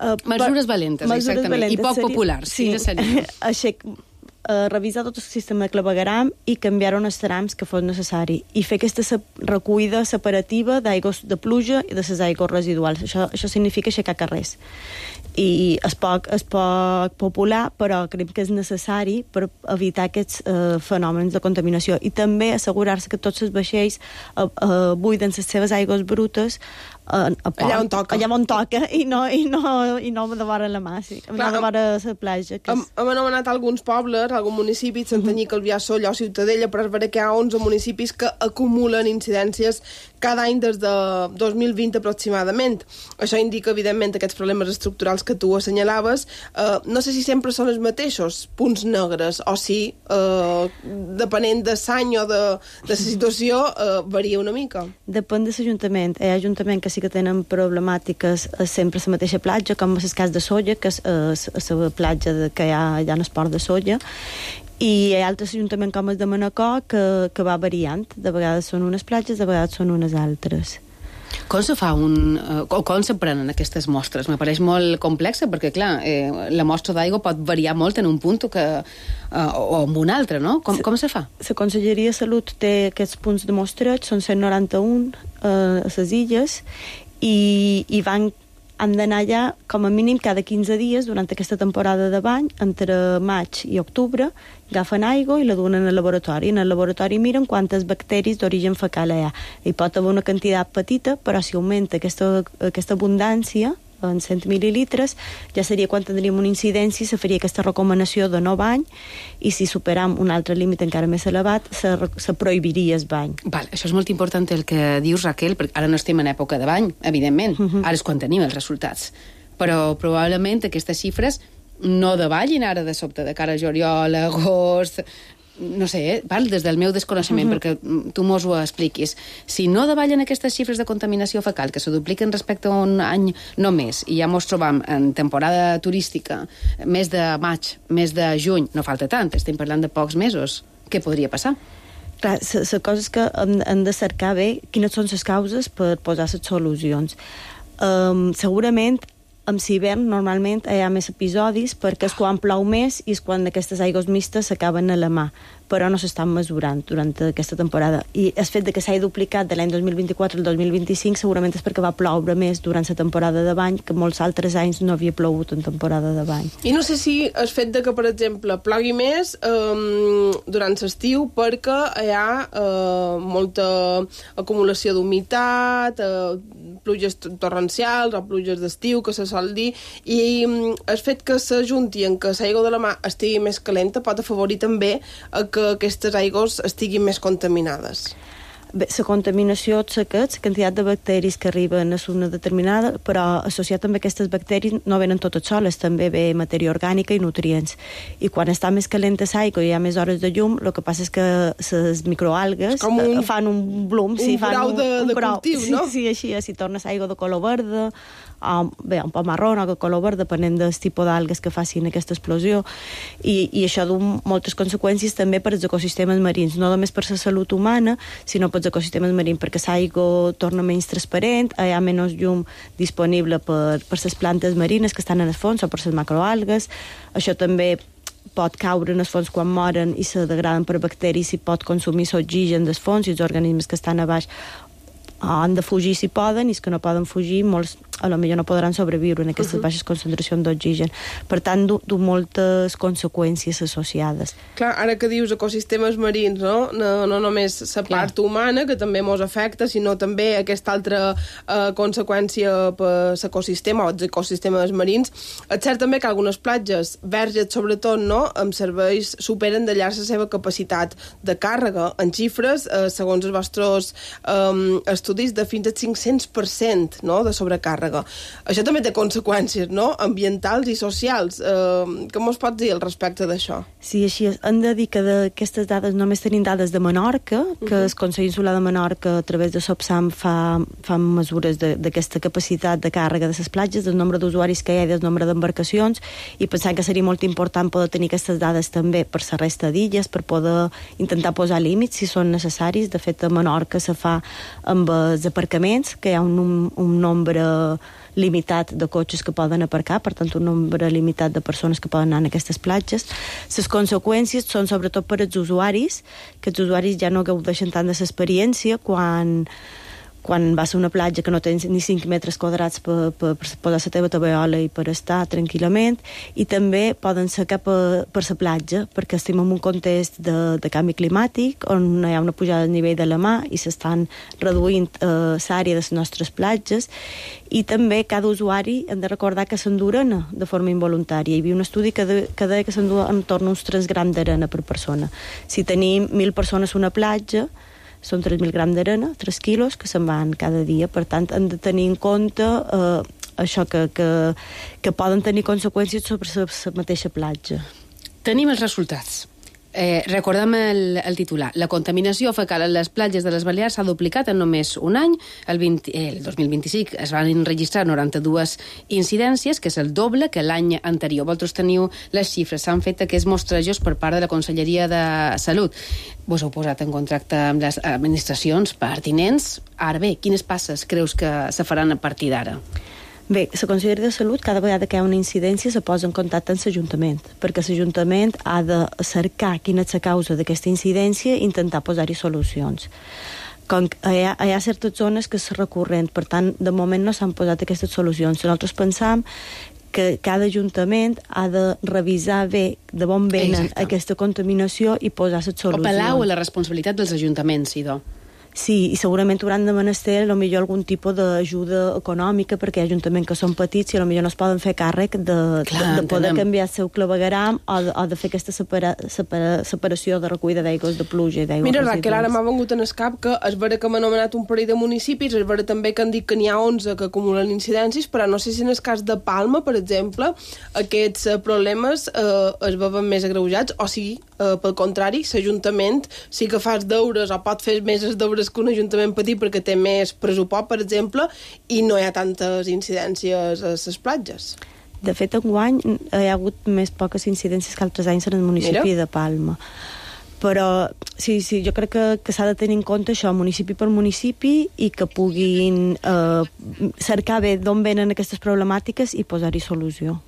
Uh, mesures valentes, mesures exactament, valentes, i poc seria... populars. Sí, sí. Uh, revisar tot el sistema de clavegueram i canviar uns trams que fos necessari i fer aquesta recollida separativa d'aigües de pluja i de les aigües residuals. Això, això significa aixecar carrers. I és poc, és poc popular, però crec que és necessari per evitar aquests uh, fenòmens de contaminació, i també assegurar-se que tots els vaixells uh, uh, buiden les seves aigües brutes uh, a port, allà on toca, allà on toca i no, i no, i no de vora la mà, sí. Clar, de vora la platja. Que hem, és... hem anomenat alguns pobles, algun municipi, Santanyí, Calvià, Solló, Ciutadella, però és vera que hi ha onze municipis que acumulen incidències cada any des de dos mil vint aproximadament. Això indica, evidentment, aquests problemes estructurals que tu assenyalaves. Uh, no sé si sempre són els mateixos punts negres o si, uh, depenent de l'any o de, de la situació, uh, varia una mica. Depèn de l'Ajuntament. Hi ha ajuntaments que sí que tenen problemàtiques sempre a la mateixa platja, com és el cas de Solla, que és uh, la platja de, que hi ha, hi ha un esport de Solla, i hi ha altres ajuntaments com el de Manacor que, que va variant. De vegades són unes platges, de vegades són unes altres. Com se fa un... Uh, com se prenen aquestes mostres? Me pareix molt complexa, perquè, clar, eh, la mostra d'aigua pot variar molt en un punt que, uh, o en un altre, no? Com, com se fa? La Conselleria de Salut té aquests punts de mostreig, són cent noranta-un uh, a les illes, i, i van han d'anar allà com a mínim cada quinze dies durant aquesta temporada de bany, entre maig i octubre, agafen aigua i la duen al laboratori. En el laboratori miren quantes bacteris d'origen fecal hi ha. Hi pot haver una quantitat petita, però si augmenta aquesta, aquesta abundància en cent mil·lilitres, ja seria quan tindríem una incidència, se faria aquesta recomanació de no bany, i si superam un altre límit encara més elevat, se, se prohibiria el bany. Val, això és molt important el que dius, Raquel, perquè ara no estem en època de bany, evidentment, uh-huh. ara és quan tenim els resultats, però probablement aquestes xifres no davallin ara de sobte, de cara a juliol, agost... no sé, eh? Val, des del meu desconeixement, uh-huh. perquè tu mos ho expliquis. Si no davallen aquestes xifres de contaminació fecal, que se dupliquen respecte a un any només, i ja mos trobam en temporada turística, mes de maig, mes de juny, no falta tant, estem parlant de pocs mesos, què podria passar? Clar, la cosa és que hem, hem de cercar bé quines són les causes per posar les solucions. Um, segurament amb l'hivern normalment hi ha més episodis perquè és quan plou més i és quan aquestes aigües mistes s'acaben a la mà, però no s'estan mesurant durant aquesta temporada. I el fet de que s'hagi duplicat de l'any dos mil vint-i-quatre al dos mil vint-i-cinc segurament és perquè va ploure més durant la temporada de bany, que molts altres anys no havia plogut en temporada de bany. I no sé si el fet de que, per exemple, plogui més eh, durant l'estiu perquè hi ha eh, molta acumulació d'humitat, eh, pluges torrencials o pluges d'estiu, que se sol dir, i el fet que s'ajunti en que l'aigua de la mà estigui més calenta pot afavorir també a que aquestes aigües estiguin més contaminades. Bé, la contaminació és aquest, la quantitat de bacteris que arriben és una determinada, però associat amb aquestes bacteris no venen totes soles, també ve matèria orgànica i nutrients. I quan està més calenta l'aigua i hi ha més hores de llum, el que passa és que les microalgues un, fan un bloom, un sí, fan grau un, de, un de grau, cultiu, sí, no? Sí, així, si torna l'aigua de color verda, o, bé, un poc marró o de color verd, depenent del tipus d'algues que facin aquesta explosió, i, i això du moltes conseqüències també per als ecosistemes marins, no només per la salut humana, sinó per als ecosistemes marins, perquè l'aigua torna menys transparent, hi ha menys llum disponible per, per les plantes marines que estan en el fons o per les macroalgues. Això també pot caure en el fons quan moren i se degraden per bacteris i pot consumir l'oxigen del fons i els organismes que estan a baix han de fugir si poden, i els que no poden fugir molts a lo millor no podran sobreviure en aquestes uh -huh. baixes concentracions d'oxigen. Per tant, du, du moltes conseqüències associades. Clar, ara que dius ecosistemes marins, no? No, no només la part humana, que també mos afecta, sinó també aquesta altra eh, conseqüència per l'ecosistema o els ecosistemes marins. És cert també que algunes platges, verges sobretot, no?, amb serveis superen de llarg la seva capacitat de càrrega. En xifres, eh, segons els vostres eh, estudis, de fins al cinc-cents per cent, no?, de sobrecàrrega. Això també té conseqüències, no?, ambientals i socials. Eh, què mos pots dir al respecte d'això? Sí, així és. Hem de dir que d'aquestes dades només tenim dades de Menorca, que uh-huh. el Consell Insular de Menorca, a través de SOPSAM, fa, fa mesures d'aquesta capacitat de càrrega de les platges, del nombre d'usuaris que hi ha i del nombre d'embarcacions, i pensant que seria molt important poder tenir aquestes dades també per la resta d'illes, per poder intentar posar límits si són necessaris. De fet, a Menorca se fa amb els aparcaments, que hi ha un, un, un nombre limitat de cotxes que poden aparcar, per tant un nombre limitat de persones que poden anar en aquestes platges. Les conseqüències són sobretot per als usuaris, que els usuaris ja no gaudeixen tant de l'experiència quan quan vas a una platja que no tens ni cinc metres quadrats per, per, per posar la teva tabaiola i per estar tranquil·lament, i també poden ser cap a, per la platja, perquè estem en un context de, de canvi climàtic on hi ha una pujada del nivell de la mar i s'estan reduint eh, l'àrea de les nostres platges, i també cada usuari hem de recordar que s'endú arena de forma involuntària. Hi havia un estudi que, de, que deia que s'endú entorn uns tres grams d'arena per persona. Si tenim mil persones a una platja, són tres mil grams d'arena, tres quilos, que se'n van cada dia. Per tant, hem de tenir en compte eh, això, que, que, que poden tenir conseqüències sobre la mateixa platja. Tenim els resultats. Eh, recordem el, el titular. La contaminació fecal a les platges de les Balears s'ha duplicat en només un any. El, vint, el dos mil vint-i-cinc es van registrar noranta-dues incidències, que és el doble que l'any anterior. Vosaltres teniu les xifres. S'han fet aquests mostrejos per part de la Conselleria de Salut. Vos heu posat en contracte amb les administracions pertinents. Ara bé, quines passes creus que se faran a partir d'ara? Bé, la Conselleria de Salut, cada vegada que hi ha una incidència, se posa en contacte amb l'Ajuntament, perquè l'Ajuntament ha de cercar quina és la causa d'aquesta incidència i intentar posar-hi solucions. Com hi ha, hi ha certes zones que és recurrent, per tant, de moment no s'han posat aquestes solucions. Nosaltres pensam que cada ajuntament ha de revisar bé de on venen Exacte. aquesta contaminació i posar les solucions. O pelau a la responsabilitat dels ajuntaments, idò. Sí, i segurament hauran de menester a millor algun tipus d'ajuda econòmica, perquè hi ha ajuntaments que són petits i a millor no es poden fer càrrec de, Clar, de, de poder canviar el seu clavegueram o de, o de fer aquesta separa, separa, separació de recollida d'aigües de pluja i d'aigües Mira, residuals. Raquel, ara m'ha vengut en el cap que és vera que m'ha anomenat un parell de municipis, és vera també que han dit que n'hi ha onze que acumulen incidències, però no sé si en el cas de Palma, per exemple, aquests eh, problemes eh, es veuen més agreujats, o sigui, eh, pel contrari, l'Ajuntament sí que fa els deures o pot fer més els deures que un ajuntament petit perquè té més pressupost, per exemple, i no hi ha tantes incidències a les platges. De fet, enguany hi ha hagut més poques incidències que altres anys en el municipi Mira. de Palma. Però sí, sí, jo crec que, que s'ha de tenir en compte això, municipi per municipi, i que puguin eh, cercar bé d'on venen aquestes problemàtiques i posar-hi solució.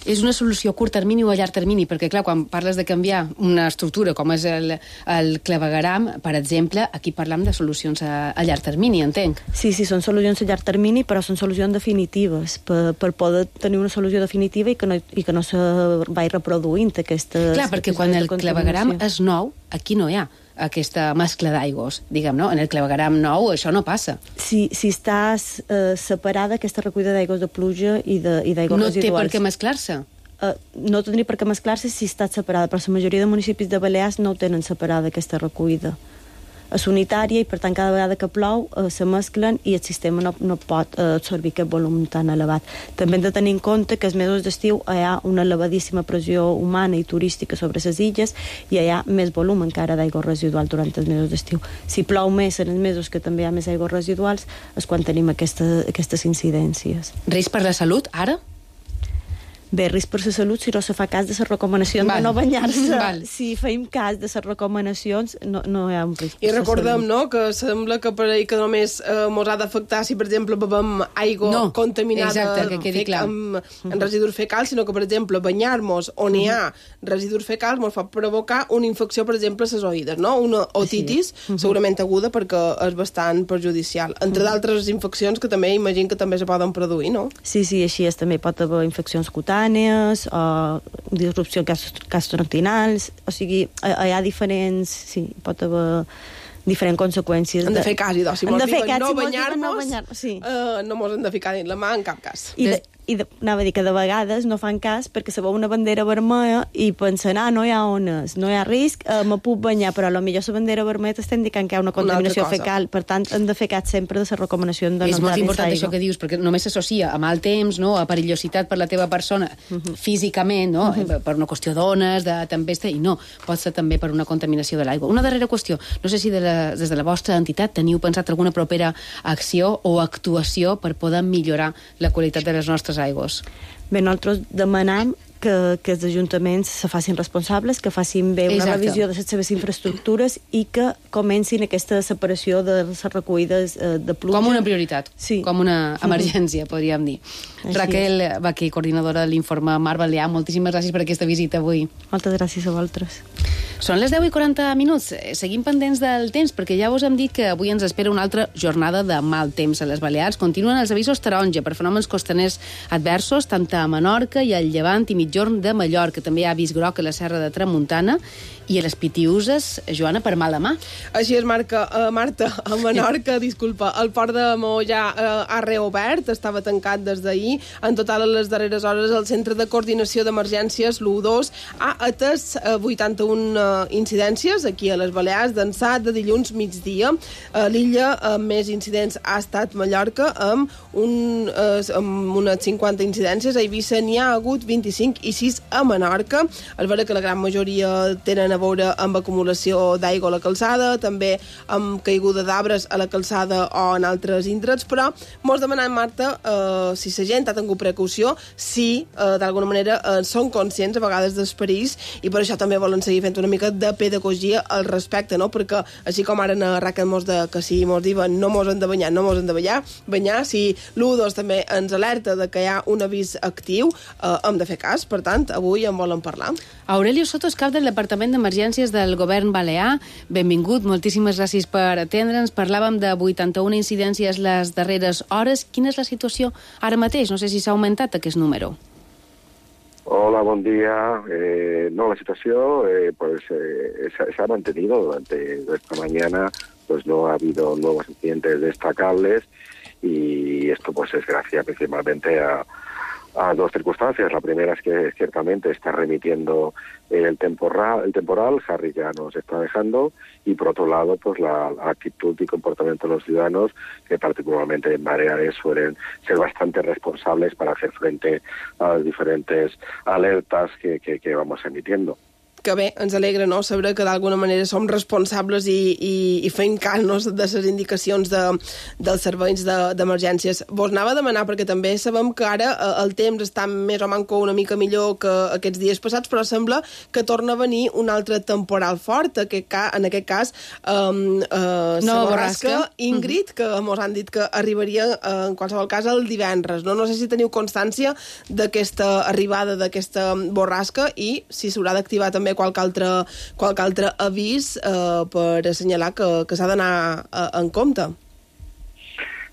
És una solució a curt termini o a llarg termini? Perquè, clar, quan parles de canviar una estructura com és el, el clavegueram, per exemple, aquí parlam de solucions a, a llarg termini, entenc. Sí, sí, són solucions a llarg termini, però són solucions definitives, per, per poder tenir una solució definitiva i que no, i que no se vagi reproduint aquestes... Clar, perquè quan el clavegueram és nou, aquí no hi ha aquesta mescla d'aigües, diguem, no? En el clavegueram nou això no passa. Si, si estàs eh, separada, aquesta recollida d'aigües de pluja i d'aigües no residuals... No té per què mesclar-se? Uh, no tindria per què mesclar-se si està separada, però la majoria de municipis de Balears no ho tenen separada, aquesta recollida. És unitària i, per tant, cada vegada que plou uh, se mesclen i el sistema no, no pot uh, absorbir aquest volum tan elevat. També hem de tenir en compte que els mesos d'estiu hi ha una elevadíssima pressió humana i turística sobre les illes i hi ha més volum encara d'aigua residual durant els mesos d'estiu. Si plou més en els mesos que també hi ha més aigües residuals és quan tenim aquesta, aquestes incidències. Risc per la salut, ara? Bé, risc per la salut si no se fa cas de les recomanacions Val. de no banyar-se. Val. Si feim cas de les recomanacions, no, no hi ha un risc. I recordem, no?, que sembla que per ahir que només eh, mos ha d'afectar si, per exemple, bebem aigua no, contaminada exacte, que quedi clar. amb, amb residus fecals, sinó que, per exemple, banyar-nos on hi ha residus fecals mos fa provocar una infecció, per exemple, a les oïdes, no? Una otitis, sí. segurament aguda, perquè és bastant perjudicial. Entre d'altres infeccions que també imagino que també se poden produir, no? Sí, sí, així és. També pot haver infeccions cutànies, o disrupcions gastrointestinals, o sigui, hi ha diferents, sí, pot haver diferents conseqüències. Hem de fer cas, idò, si mos diuen no banyar-nos, no, banyar sí. uh, no mos hem de ficar dins la mà en cap cas. I de, i de, anava a dir que de vegades no fan cas perquè se veu una bandera vermella i pensen, ah, no hi ha ones, no hi ha risc, eh, me puc banyar, però potser la bandera vermella t'està indicant que hi ha una contaminació una fecal, per tant hem de fer cas sempre de les recomanacions de no entrar dins l'aigua. És molt important això que dius, perquè només s'associa a mal temps, no?, a perillositat per la teva persona, uh -huh. físicament, no?, uh -huh. per una qüestió d'ones, de tempesta, i no, pot ser també per una contaminació de l'aigua. Una darrera qüestió, no sé si de la, des de la vostra entitat teniu pensat alguna propera acció o actuació per poder millorar la qualitat de les nostres aigües. Bé, nosaltres demanam que, que els ajuntaments se facin responsables, que facin bé una Exacte. revisió de les seves infraestructures i que comencin aquesta separació de les recollides eh, de pluja. Com una prioritat, sí. com una emergència, podríem dir. Així Raquel és. Baquer, coordinadora de l'informe Mar Balear, moltíssimes gràcies per aquesta visita avui. Moltes gràcies a vosaltres. Són les deu i quaranta minuts. Seguim pendents del temps, perquè ja us hem dit que avui ens espera una altra jornada de mal temps a les Balears. Continuen els avisos taronja per fenòmens costaners adversos, tant a Menorca i al Llevant i Migjorn de Mallorca. També hi ha avís groc a la Serra de Tramuntana i a les Pitiüses, Joana, per mala mà. Així és, Marca, uh, Marta, a Menorca, disculpa, el port de Maó ja uh, ha reobert, estava tancat des d'ahir. En total, a les darreres hores, el Centre de Coordinació d'Emergències, l'U dos, ha atès uh, vuitanta-una uh, incidències aquí a les Balears, d'ençà de dilluns migdia. Uh, L'illa amb més incidents ha estat Mallorca, amb, un, uh, amb unes cinquanta incidències. A Eivissa n'hi ha hagut vint-i-cinc i sis a Menorca. És vera que la gran majoria tenen a veure amb acumulació d'aigua a la calçada, també amb caiguda d'arbres a la calçada o en altres indrets, però mos demanem, Marta, eh, si la gent ha tingut precaució, si eh, d'alguna manera eh, són conscients a vegades dels perills, i per això també volen seguir fent una mica de pedagogia al respecte, no? Perquè així com ara en Raquel mos de que si mos diuen no mos hem de banyar, no mos hem de banyar, banyar, si l'U dos també ens alerta de que hi ha un avís actiu, eh, hem de fer cas, per tant, avui en volen parlar. Aurelio Soto és cap del Departament d'Emergències del Govern Balear. Benvingut, moltíssimes gràcies per atendre'ns. Parlàvem de vuitanta-una incidències les darreres hores. Quina és la situació ara mateix? No sé si s'ha augmentat aquest número. Hola, buen día. Eh, no, la situación eh, pues eh, se, se ha mantenido durante esta mañana. Pues no ha habido nuevos incidentes destacables y esto pues es gracias principalmente a a dos circunstancias. La primera es que ciertamente está remitiendo el temporal, el temporal, Harry ya nos está dejando, y por otro lado, pues la actitud y comportamiento de los ciudadanos, que particularmente en Baleares suelen ser bastante responsables para hacer frente a las diferentes alertas que, que, que vamos emitiendo. que bé, ens alegra, no?, saber que d'alguna manera som responsables i, i, i fem cas, no?, de les indicacions de, dels serveis d'emergències. De, Vos anava a demanar, perquè també sabem que ara el temps està més o manco una mica millor que aquests dies passats, però sembla que torna a venir un altre temporal fort, aquest, en aquest cas um, uh, la borrasca Ingrid, que mos han dit que arribaria uh, en qualsevol cas el divendres. No, no sé si teniu constància d'aquesta arribada d'aquesta borrasca i si s'haurà d'activar també qualque altre, qualque altre avís eh, per assenyalar que, que s'ha d'anar eh, en compte.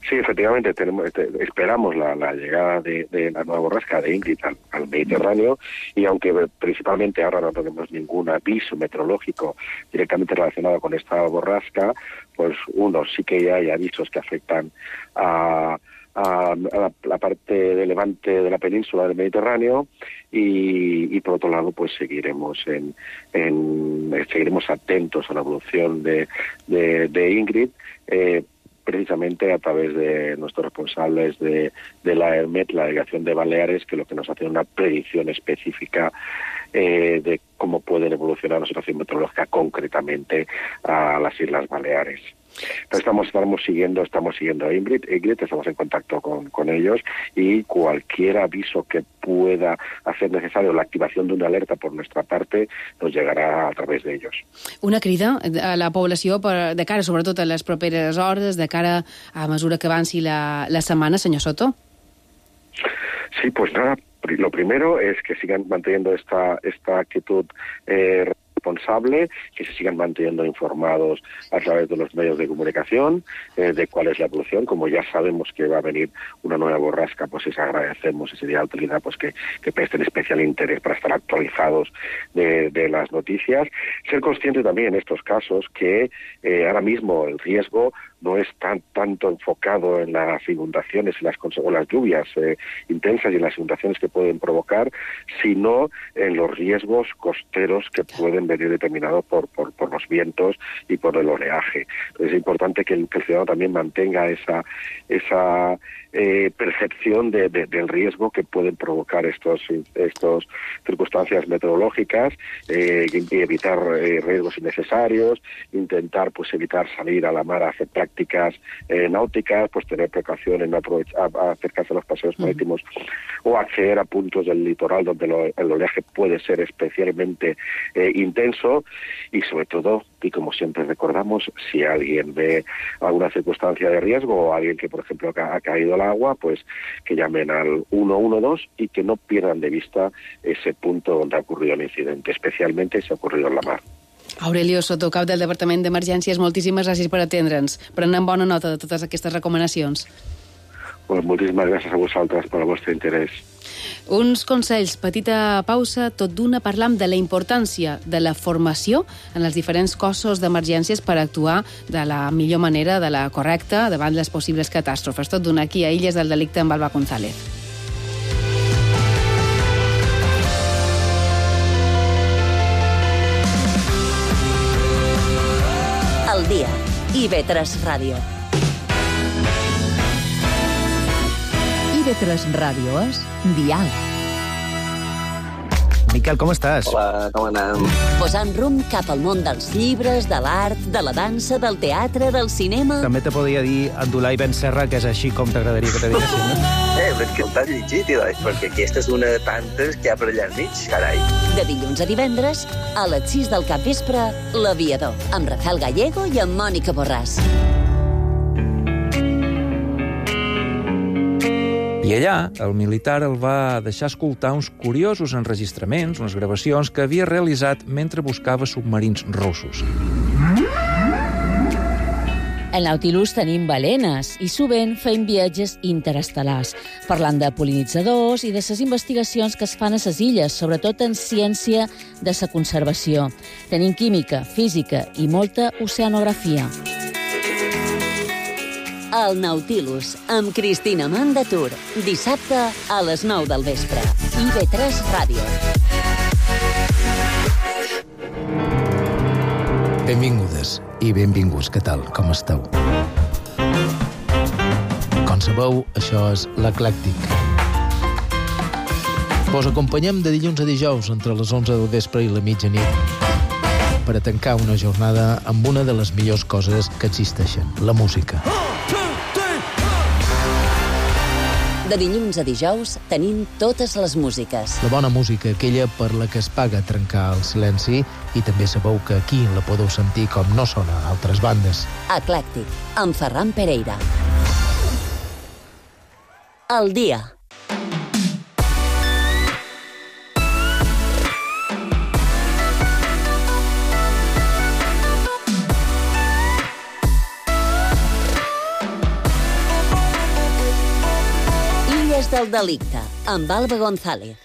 Sí, efectivamente, tenemos, esperamos la, la llegada de, de la nueva borrasca de Ingrid al, al Mediterráneo y aunque principalmente ahora no tenemos ningún aviso meteorológico directamente relacionado con esta borrasca, pues uno, sí que ya hay avisos que afectan a... a la, la parte de levante de la península del Mediterráneo y, y por otro lado pues seguiremos en, en seguiremos atentos a la evolución de, de, de Ingrid eh, precisamente a través de nuestros responsables de, de la ERMET, la Delegación de Baleares, que lo que nos hace una predicción específica eh, de cómo puede evolucionar la situación meteorológica concretamente a las Islas Baleares. Entonces estamos, estamos siguiendo estamos siguiendo a Ingrid, Ingrid, estamos en contacto con, con ellos y cualquier aviso que pueda hacer necesario la activación de una alerta por nuestra parte nos llegará a través de ellos. Una crida a la població per, de cara sobretot a les properes hores, de cara a mesura que avanci la, la setmana, senyor Soto? Sí, pues nada, lo primero es que sigan manteniendo esta, esta actitud eh, responsable, que se sigan manteniendo informados a través de los medios de comunicación eh, de cuál es la evolución. Como ya sabemos que va a venir una nueva borrasca, pues les agradecemos y sería de utilidad pues que, que presten especial interés para estar actualizados de, de las noticias. Ser consciente también en estos casos que eh, ahora mismo el riesgo no es tan tanto enfocado en las inundaciones y las, o las lluvias eh, intensas y en las inundaciones que pueden provocar, sino en los riesgos costeros que pueden venir determinados por, por, por los vientos y por el oleaje. Entonces es importante que el, que el ciudadano también mantenga esa, esa eh, percepción de, de, del riesgo que pueden provocar estos, estos circunstancias meteorológicas eh, y evitar eh, riesgos innecesarios, intentar pues evitar salir a la mar a hacer prácticas prácticas eh, náuticas, pues tener precaución en no aprovechar, a acercarse a los paseos marítimos mm. o acceder a puntos del litoral donde lo, el oleaje puede ser especialmente eh, intenso y sobre todo, y como siempre recordamos, si alguien ve alguna circunstancia de riesgo o alguien que por ejemplo ha, ha caído al agua, pues que llamen al uno uno dos y que no pierdan de vista ese punto donde ha ocurrido el incidente, especialmente si ha ocurrido en la mar. Aurelio Soto, cap del Departament d'Emergències, moltíssimes gràcies per atendre'ns. Prenem bona nota de totes aquestes recomanacions. Pues moltíssimes gràcies a vosaltres per el vostre interès. Uns consells, petita pausa, tot d'una parlam de la importància de la formació en els diferents cossos d'emergències per actuar de la millor manera, de la correcta, davant les possibles catàstrofes. Tot d'una aquí a Illes del Delicte amb Alba González. Al dia. I ve tres Ràdio. I ve tres Ràdio és Dial. Miquel, com estàs? Hola, com anem? Posant rumb cap al món dels llibres, de l'art, de la dansa, del teatre, del cinema... També te podria dir Abdulai Ben Serra, que és així com t'agradaria que te diguessin, no? Eh, però és que t'has llegit, doncs, perquè aquesta és una de tantes que hi ha per allà enmig, carai. De dilluns a divendres, a les sis del capvespre, L'Aviador, amb Rafael Gallego i amb Mònica Borràs. I allà, el militar el va deixar escoltar uns curiosos enregistraments, unes gravacions que havia realitzat mentre buscava submarins russos. Al Nautilus tenim balenes i sovint feim viatges interestel·lars, parlant de pol·linitzadors i de les investigacions que es fan a les illes, sobretot en ciència de la conservació. Tenim química, física i molta oceanografia. El Nautilus, amb Cristina Mandatur, dissabte a les nou del vespre. I ve tres Ràdio. Benvingudes i benvinguts, què tal? Com esteu? Com sabeu, això és l'Eclèctic. Vos acompanyem de dilluns a dijous entre les onze del vespre i la mitjanit per a tancar una jornada amb una de les millors coses que existeixen, la música. De dilluns a dijous tenim totes les músiques. La bona música, aquella per la que es paga trencar el silenci, i també sabeu que aquí la podeu sentir com no sona a altres bandes. Eclèctic, amb Ferran Pereira. El dia. Del delicte, amb Alba González.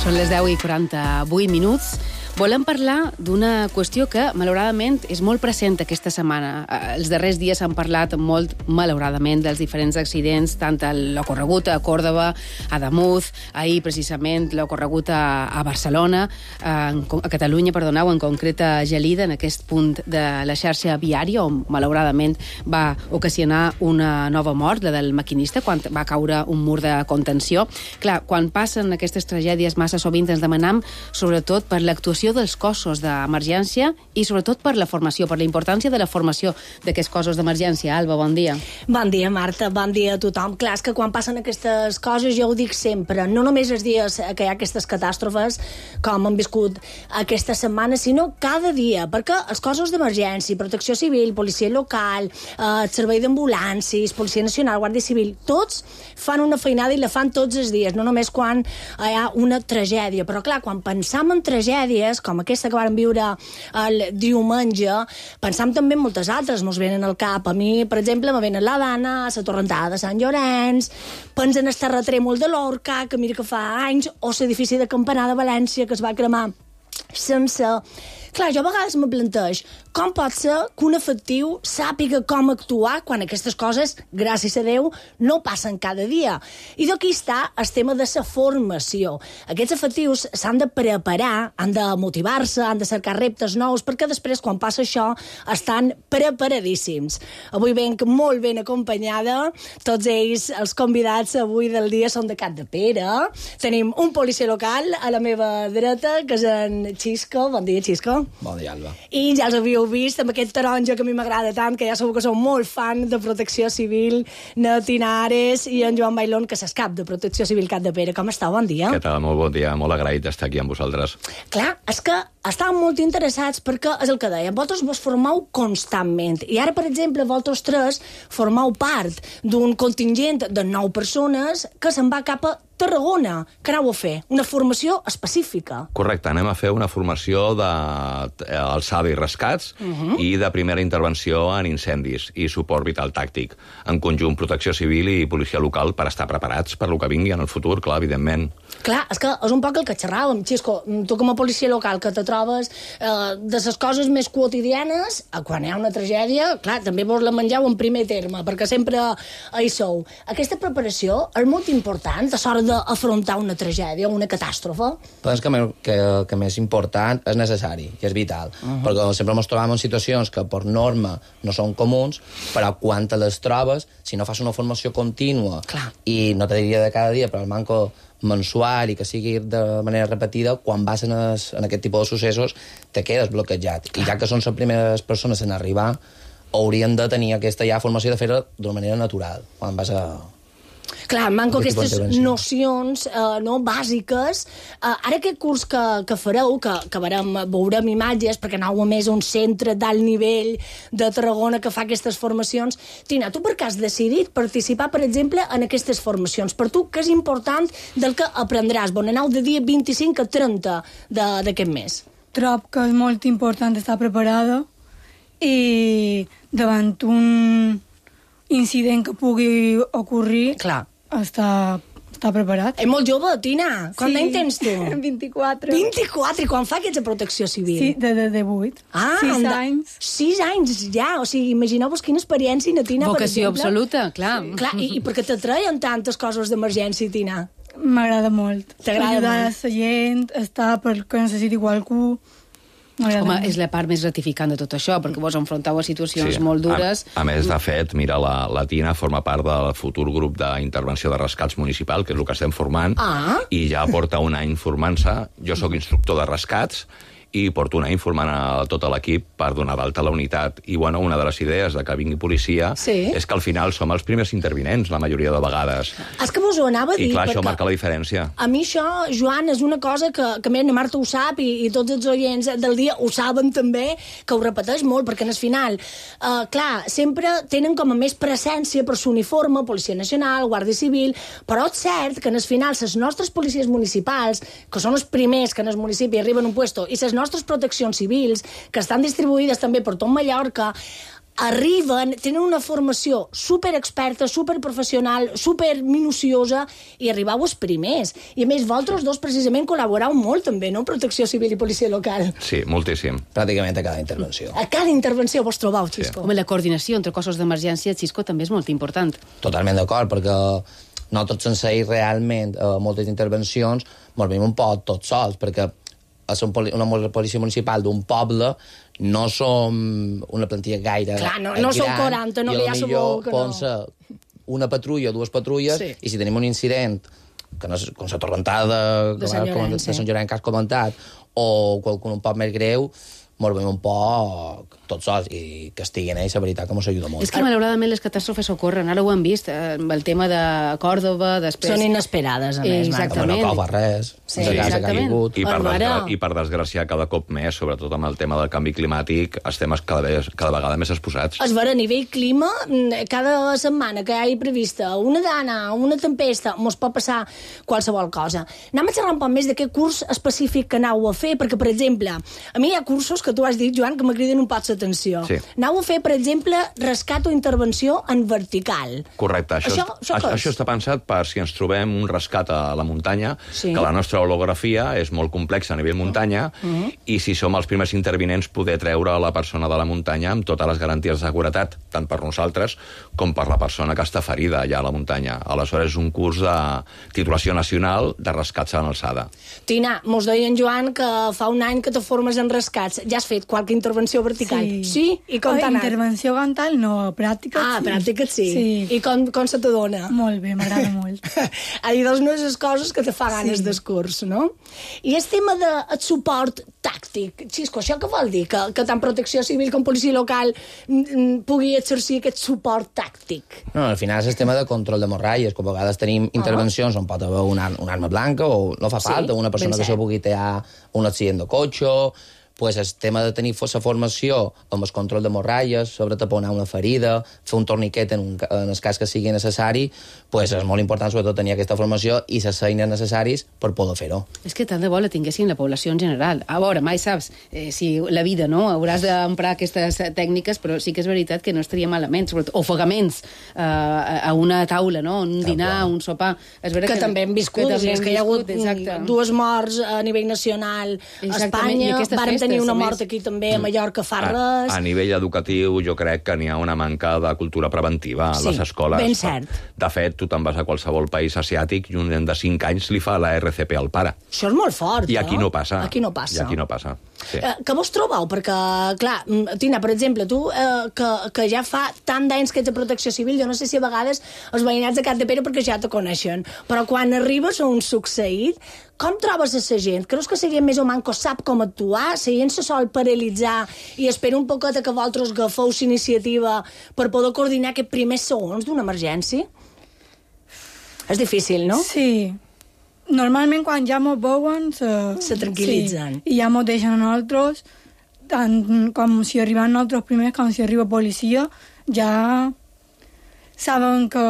Són les deu i quaranta-vuit minuts. Volem parlar d'una qüestió que, malauradament, és molt present aquesta setmana. Els darrers dies s'han parlat molt, malauradament, dels diferents accidents, tant l'ocorregut a Còrdova, a Damús, ahir, precisament, l'ocorregut a, a Barcelona, a, a Catalunya, perdoneu, en concret a Gelida, en aquest punt de la xarxa viària, on, malauradament, va ocasionar una nova mort, la del maquinista, quan va caure un mur de contenció. Clar, quan passen aquestes tragèdies, massa sovint ens demanam, sobretot per l'actuació dels cossos d'emergència i sobretot per la formació, per la importància de la formació d'aquests cossos d'emergència. Alba, bon dia. Bon dia, Marta, bon dia a tothom. Clar, és que quan passen aquestes coses, jo ho dic sempre, no només els dies que hi ha aquestes catàstrofes, com han viscut aquesta setmana, sinó cada dia, perquè els cossos d'emergència, protecció civil, policia local, eh, servei d'ambulàncies, policia nacional, guàrdia civil, tots fan una feinada i la fan tots els dies, no només quan hi ha una tragèdia. Però clar, quan pensam en tragèdies com aquesta que vàrem viure el diumenge, pensam també en moltes altres, mos venen al cap. A mi, per exemple, me venen la Dana, la Torrentada de Sant Llorenç, pensen en el terratrèmol de l'Orca, que mira que fa anys, o l'edifici de Campanar de València, que es va cremar sense... Clar, jo a vegades me planteix com pot ser que un efectiu sàpiga com actuar quan aquestes coses, gràcies a Déu, no passen cada dia. I d'aquí està el tema de la formació. Aquests efectius s'han de preparar, han de motivar-se, han de cercar reptes nous, perquè després, quan passa això, estan preparadíssims. Avui venc molt ben acompanyada. Tots ells, els convidats avui del dia, són de Capdepera. Tenim un policia local a la meva dreta, que és en Xisco. Bon dia, Xisco. Bon dia, Alba. I ja els havíeu vist amb aquest taronja que a mi m'agrada tant, que ja segur que sou molt fan de Protecció Civil, na Tinares, i en Joan Bailón, que s'és cap de Protecció Civil Capdepera. Com estàu? Bon dia. Què tal? Molt bon dia. Molt agraït d'estar aquí amb vosaltres. Clar, és que estàvem molt interessats perquè, és el que deia, vosaltres vos formeu constantment. I ara, per exemple, vosaltres tres formeu part d'un contingent de nou persones que se'n va cap a Tarragona. Què aneu a fer? Una formació específica. Correcte, anem a fer una formació d'alçada i rescats uh-huh. i de primera intervenció en incendis i suport vital tàctic, en conjunt Protecció Civil i Policia Local, per estar preparats per lo que vingui en el futur, clar, evidentment. Clar, és que és un poc el que xerràvem, Xisco, tu com a policia local que te trobes eh, de les coses més quotidianes, quan hi ha una tragèdia, clar, també vos la mengeu en primer terme, perquè sempre hi sou. Aquesta preparació és molt important a l'hora d'afrontar una tragèdia o una catàstrofe? Penso que, que, que més important és necessari i és vital, uh-huh. perquè sempre ens trobem en situacions que per norma no són comuns, però quan te les trobes, si no fas una formació contínua, clar. I no te diria de cada dia, però el manco mensual i que sigui de manera repetida, quan vas en, es, en aquest tipus de successos te quedes bloquejat. Clar. I ja que són les primeres persones en arribar, haurien de tenir aquesta ja formació de fer-ho d'una manera natural, quan vas a... Clar, manco aquestes nocions eh, no, bàsiques. Eh, ara aquest curs que, que fareu, que, que veurem, veurem imatges, perquè aneu a més un centre d'alt nivell de Tarragona que fa aquestes formacions. Tina, tu per què has decidit participar, per exemple, en aquestes formacions? Per tu, què és important del que aprendràs? Bon, aneu de dia vint-i-cinc a trenta d'aquest mes. Trob que és molt important estar preparada i davant un incident que pugui ocorrir, clar, està, està preparat. És molt jove, Tina. Quant d'any tens tu? vint-i-quatre. vint-i-quatre? I quan fa aquesta protecció civil? Sí, de, de, de vuit. Ah, sis de... anys. Sis anys, ja. O sigui, imagineu-vos quina experiència, Tina, vocació per exemple. absoluta, clar. Sí. Clar, i, i per què t'atreien tantes coses d'emergència, Tina? M'agrada molt. T'agrada ajudar molt? a la gent, estar perquè necessiti qualcú. Home, és la part més gratificant de tot això, perquè vos enfronteu a situacions sí. molt dures. A, a més, de fet, mira, la, la Tina forma part del futur grup d'intervenció de rescats municipal, que és el que estem formant, ah. i ja porta un any formant-se. Jo sóc instructor de rescats, i porto un any informant a tot l'equip per donar d'alta la unitat. I, bueno, una de les idees de que vingui policia sí. és que al final som els primers intervinents, la majoria de vegades. És que vos ho anava a dir. I clar, això marca la diferència. A mi això, Joan, és una cosa que, que més na Marta ho sap i, i tots els oients del dia ho saben també, que ho repeteix molt, perquè en el final, eh, clar, sempre tenen com a més presència per l'uniforme, Policia Nacional, Guàrdia Civil, però és cert que en el final les nostres policies municipals, que són els primers que en el municipi arriben a un puesto, i les nostres proteccions civils, que estan distribuïdes també per tot Mallorca, arriben, tenen una formació superexperta, superprofessional, superminuciosa, i arribau els primers. I a més, vosaltres dos precisament col·laborau molt també, no? Protecció Civil i Policia Local. Sí, moltíssim. Pràcticament a cada intervenció. A cada intervenció vos trobau, Xisco. Sí. Home, la coordinació entre cossos d'emergència, Xisco, també és molt important. Totalment d'acord, perquè nosaltres sense ir realment a moltes intervencions ens veiem un poc tots sols, perquè a ser una policia municipal d'un poble no som una plantilla gaire clar, no, no som quaranta, no, i que ja sabeu que no. Una patrulla, dues patrulles, sí. I si tenim un incident, que no és, com la torrentada de, de Sant Llorenç, sí. que has comentat, o qualcun un poc més greu, ens veiem un poc tots sols, i que estiguin ells, la veritat, que ens ajuda molt. És que, malauradament, les catàstrofes ocorren. Ara ho hem vist, amb el tema de Còrdova, després... Són inesperades, a més. Exactament. No cova res. Sí, sí, exactament. I per, desgra... I per desgràcia, cada cop més, sobretot amb el tema del canvi climàtic, estem cada, vegada, cada vegada més exposats. És vera, a nivell clima, cada setmana que hi ha prevista una dana, una tempesta, mos pot passar qualsevol cosa. Anem a xerrar un poc més d'aquest curs específic que anau a fer, perquè, per exemple, a mi hi ha cursos que tu has dit, Joan, que me criden un poc l'atenció. Sí. Anau a fer, per exemple, rescat o intervenció en vertical. Correcte. Això, això, això, això, això està pensat per si ens trobem un rescat a la muntanya, sí. que la nostra holografia és molt complexa a nivell muntanya, uh-huh. i si som els primers intervinents poder treure la persona de la muntanya amb totes les garanties de seguretat, tant per nosaltres com per la persona que està ferida allà a la muntanya. Aleshores, és un curs de titulació nacional de rescats a l'alçada. Tina, mos deia en Joan que fa un any que te formes en rescats. Ja has fet qualque intervenció vertical? Sí. Sí? I com t'ha anat? Intervenció frontal no, pràctica ah, sí. pràctica sí. sí. I com, com se t'adona? Molt bé, m'agrada molt. Ahir doncs no és les coses que te fa ganes sí. del curs, no? I el tema de el suport tàctic. Xisco, això què vol dir? Que, que tant Protecció Civil com Policia Local m, pugui exercir aquest suport tàctic? No, al final és el tema de control d'hemorràgies, que a vegades tenim intervencions uh-huh. on pot haver una, una arma blanca o no fa falta, sí, una persona que se pugui tear un accident de cotxe, pues el tema de tenir la formació amb el control d'hemorràgies, sobre taponar una ferida, fer un torniquet en, un, en el cas que sigui necessari, pues és molt important sobretot tenir aquesta formació i les eines necessaris per poder fer-ho. És que tant de bo la tinguessin la població en general. A veure, mai saps eh, si la vida, no? Hauràs d'emprar aquestes tècniques, però sí que és veritat que no estaria malament, sobretot ofegaments eh, a una taula, no? Un dinar, ah, un sopar. És que, que també hem viscut, que, també hem és que hi ha hagut exacte. dues morts a nivell nacional a Espanya, vàrem tenir una mort aquí també a Mallorca fa res. A, a nivell educatiu jo crec que n'hi ha una manca de cultura preventiva a sí, les escoles. Ben cert. De fet, tu te'n vas a qualsevol país asiàtic i un nen de cinc anys li fa la R C P al pare. Això és molt fort, I aquí no passa. Aquí no passa. I aquí no passa. Sí. Eh, que vos trobeu? Perquè, clar, Tina, per exemple, tu, eh, que, que ja fa tant d'anys que ets a Protecció Civil, jo no sé si a vegades els veïnats de Capdepera perquè ja te coneixen, però quan arribes a un succeït, com trobes a la gent? Creus que la gent més o manco sap com actuar? La gent se sol paralitzar i espera un poquet que vosaltres agafeu iniciativa per poder coordinar aquests primers segons d'una emergència? És difícil, no? Sí. Normalment quan ja mos veuen se, se tranquil·litzen. Sí. I ja mos deixen a nosaltres, tant com si arriben nosaltres primers com si arriba policia, ja saben que...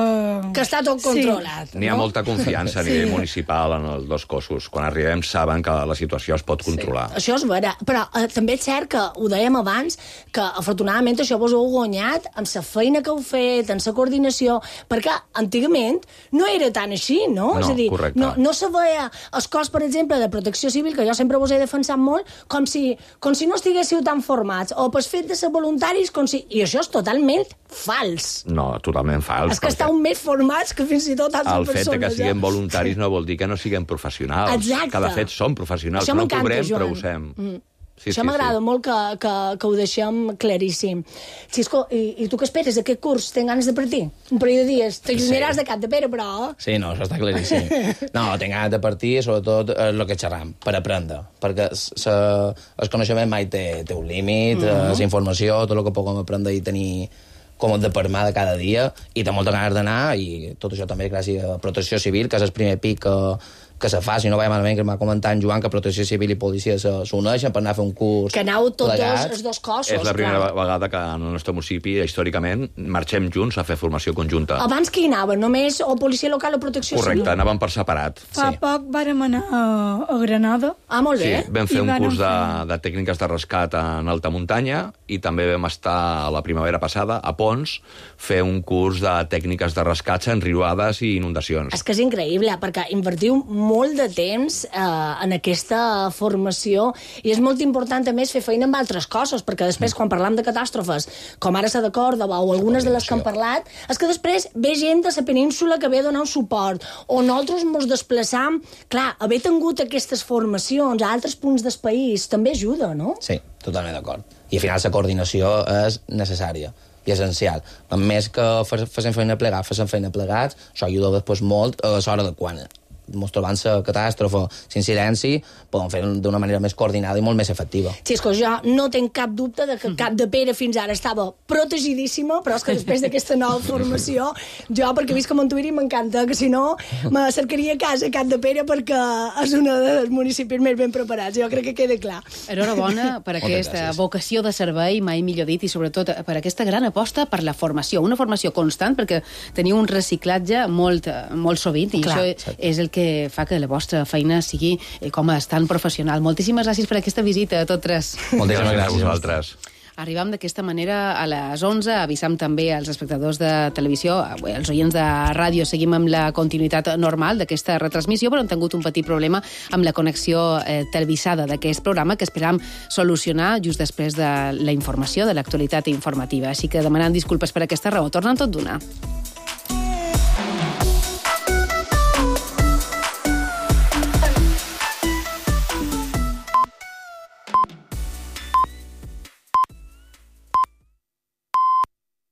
Que està tot controlat. Sí. N'hi ha no? molta confiança a nivell sí. municipal en els dos cossos. Quan arribem saben que la situació es pot controlar. Sí. Això és vera, però eh, també és cert que ho dèiem abans, que afortunadament això vos ho heu guanyat amb la feina que heu fet, amb la coordinació, perquè antigament no era tan així, no? No, és a dir, correcte. No, no se veia el cos, per exemple, de Protecció Civil, que jo sempre vos he defensat molt, com si, com si no estiguéssiu tan formats, o pel fet de ser voluntaris, com si... I això és totalment fals. No, totalment fals. És que estàu més formats que fins i tot altres el persones. El fet que siguem eh? voluntaris no vol dir que no siguem professionals. Exacte. Que de fet som professionals. Això no cobrem, Joan. però ho sem. Mm. Sí, Això sí, m'agrada sí. molt que, que, que ho deixem claríssim. Xisco, i, i tu què esperes d'aquest curs? Tens ganes de partir? Un parell de dies. T'allunyaràs sí. de Cap de Pere, però... Sí, no, això està claríssim. No, tinc ganes de partir, sobretot eh, el que xerram, per aprendre. Perquè se, el coneixement mai té, té un límit, mm -hmm. la informació, tot el que puguem aprendre i tenir com de per mà de cada dia, i té molta ganes d'anar, i tot això també gràcies a Protecció Civil, que és el primer pic que, que se fa, si no vaig malament, que m'ha comentat en Joan, que Protecció Civil i Policia s'uneixen per anar a fer un curs que aneu tots plegats. dos, els dos cossos. És la primera clar. vegada que en el nostre municipi, històricament, marxem junts a fer formació conjunta. Abans qui anava? Només o policia local o protecció Correcte, civil? anàvem per separat. Fa Sí. poc vàrem anar a, a Granada. Ah, molt bé. Sí, vam fer I un vàrem curs de, fer- de tècniques de rescat en alta muntanya i també vam estar a la primavera passada a Pons fer un curs de tècniques de rescats en riuades i inundacions. És que és increïble, perquè invertiu molt de temps eh, en aquesta formació i és molt important, a més, fer feina amb altres coses, perquè després, quan parlam de catàstrofes, com ara la de Còrdova o algunes de les que hem parlat, és que després ve gent de la península que ve a donar un suport, o nosaltres ens desplaçam. Clar, haver tingut aquestes formacions a altres punts del país també ajuda, no? Sí, totalment d'acord. I al final la coordinació és necessària i essencial. A més que facin feina plegats, facin feina plegats, això ajuda després molt a l'hora de quan ens trobant la catàstrofe, l'incidència, podem fer d'una manera més coordinada i molt més efectiva. Xisco, jo no tinc cap dubte de que Cap de Pere fins ara estava protegidíssima, però és que després d'aquesta nova formació, jo, perquè visc a Montuïri, m'encanta, que si no, me cercaria a casa a Cap de Pere perquè és un dels municipis més ben preparats. Jo crec que queda clar. Enhorabona per aquesta vocació de servei, mai millor dit, i sobretot per aquesta gran aposta per la formació. Una formació constant, perquè teniu un reciclatge molt, molt sovint, i Clar. això és el que fa que la vostra feina sigui eh, com a tan professional. Moltíssimes gràcies per aquesta visita a tots tres. Moltíssimes gràcies a vosaltres. Arribam d'aquesta manera a les onze, avisam també als espectadors de televisió, als oients de ràdio, seguim amb la continuïtat normal d'aquesta retransmissió, però hem tingut un petit problema amb la connexió eh, televisada d'aquest programa que esperam solucionar just després de la informació, de l'actualitat informativa. Així que demanant disculpes per aquesta raó. Tornen tot d'una.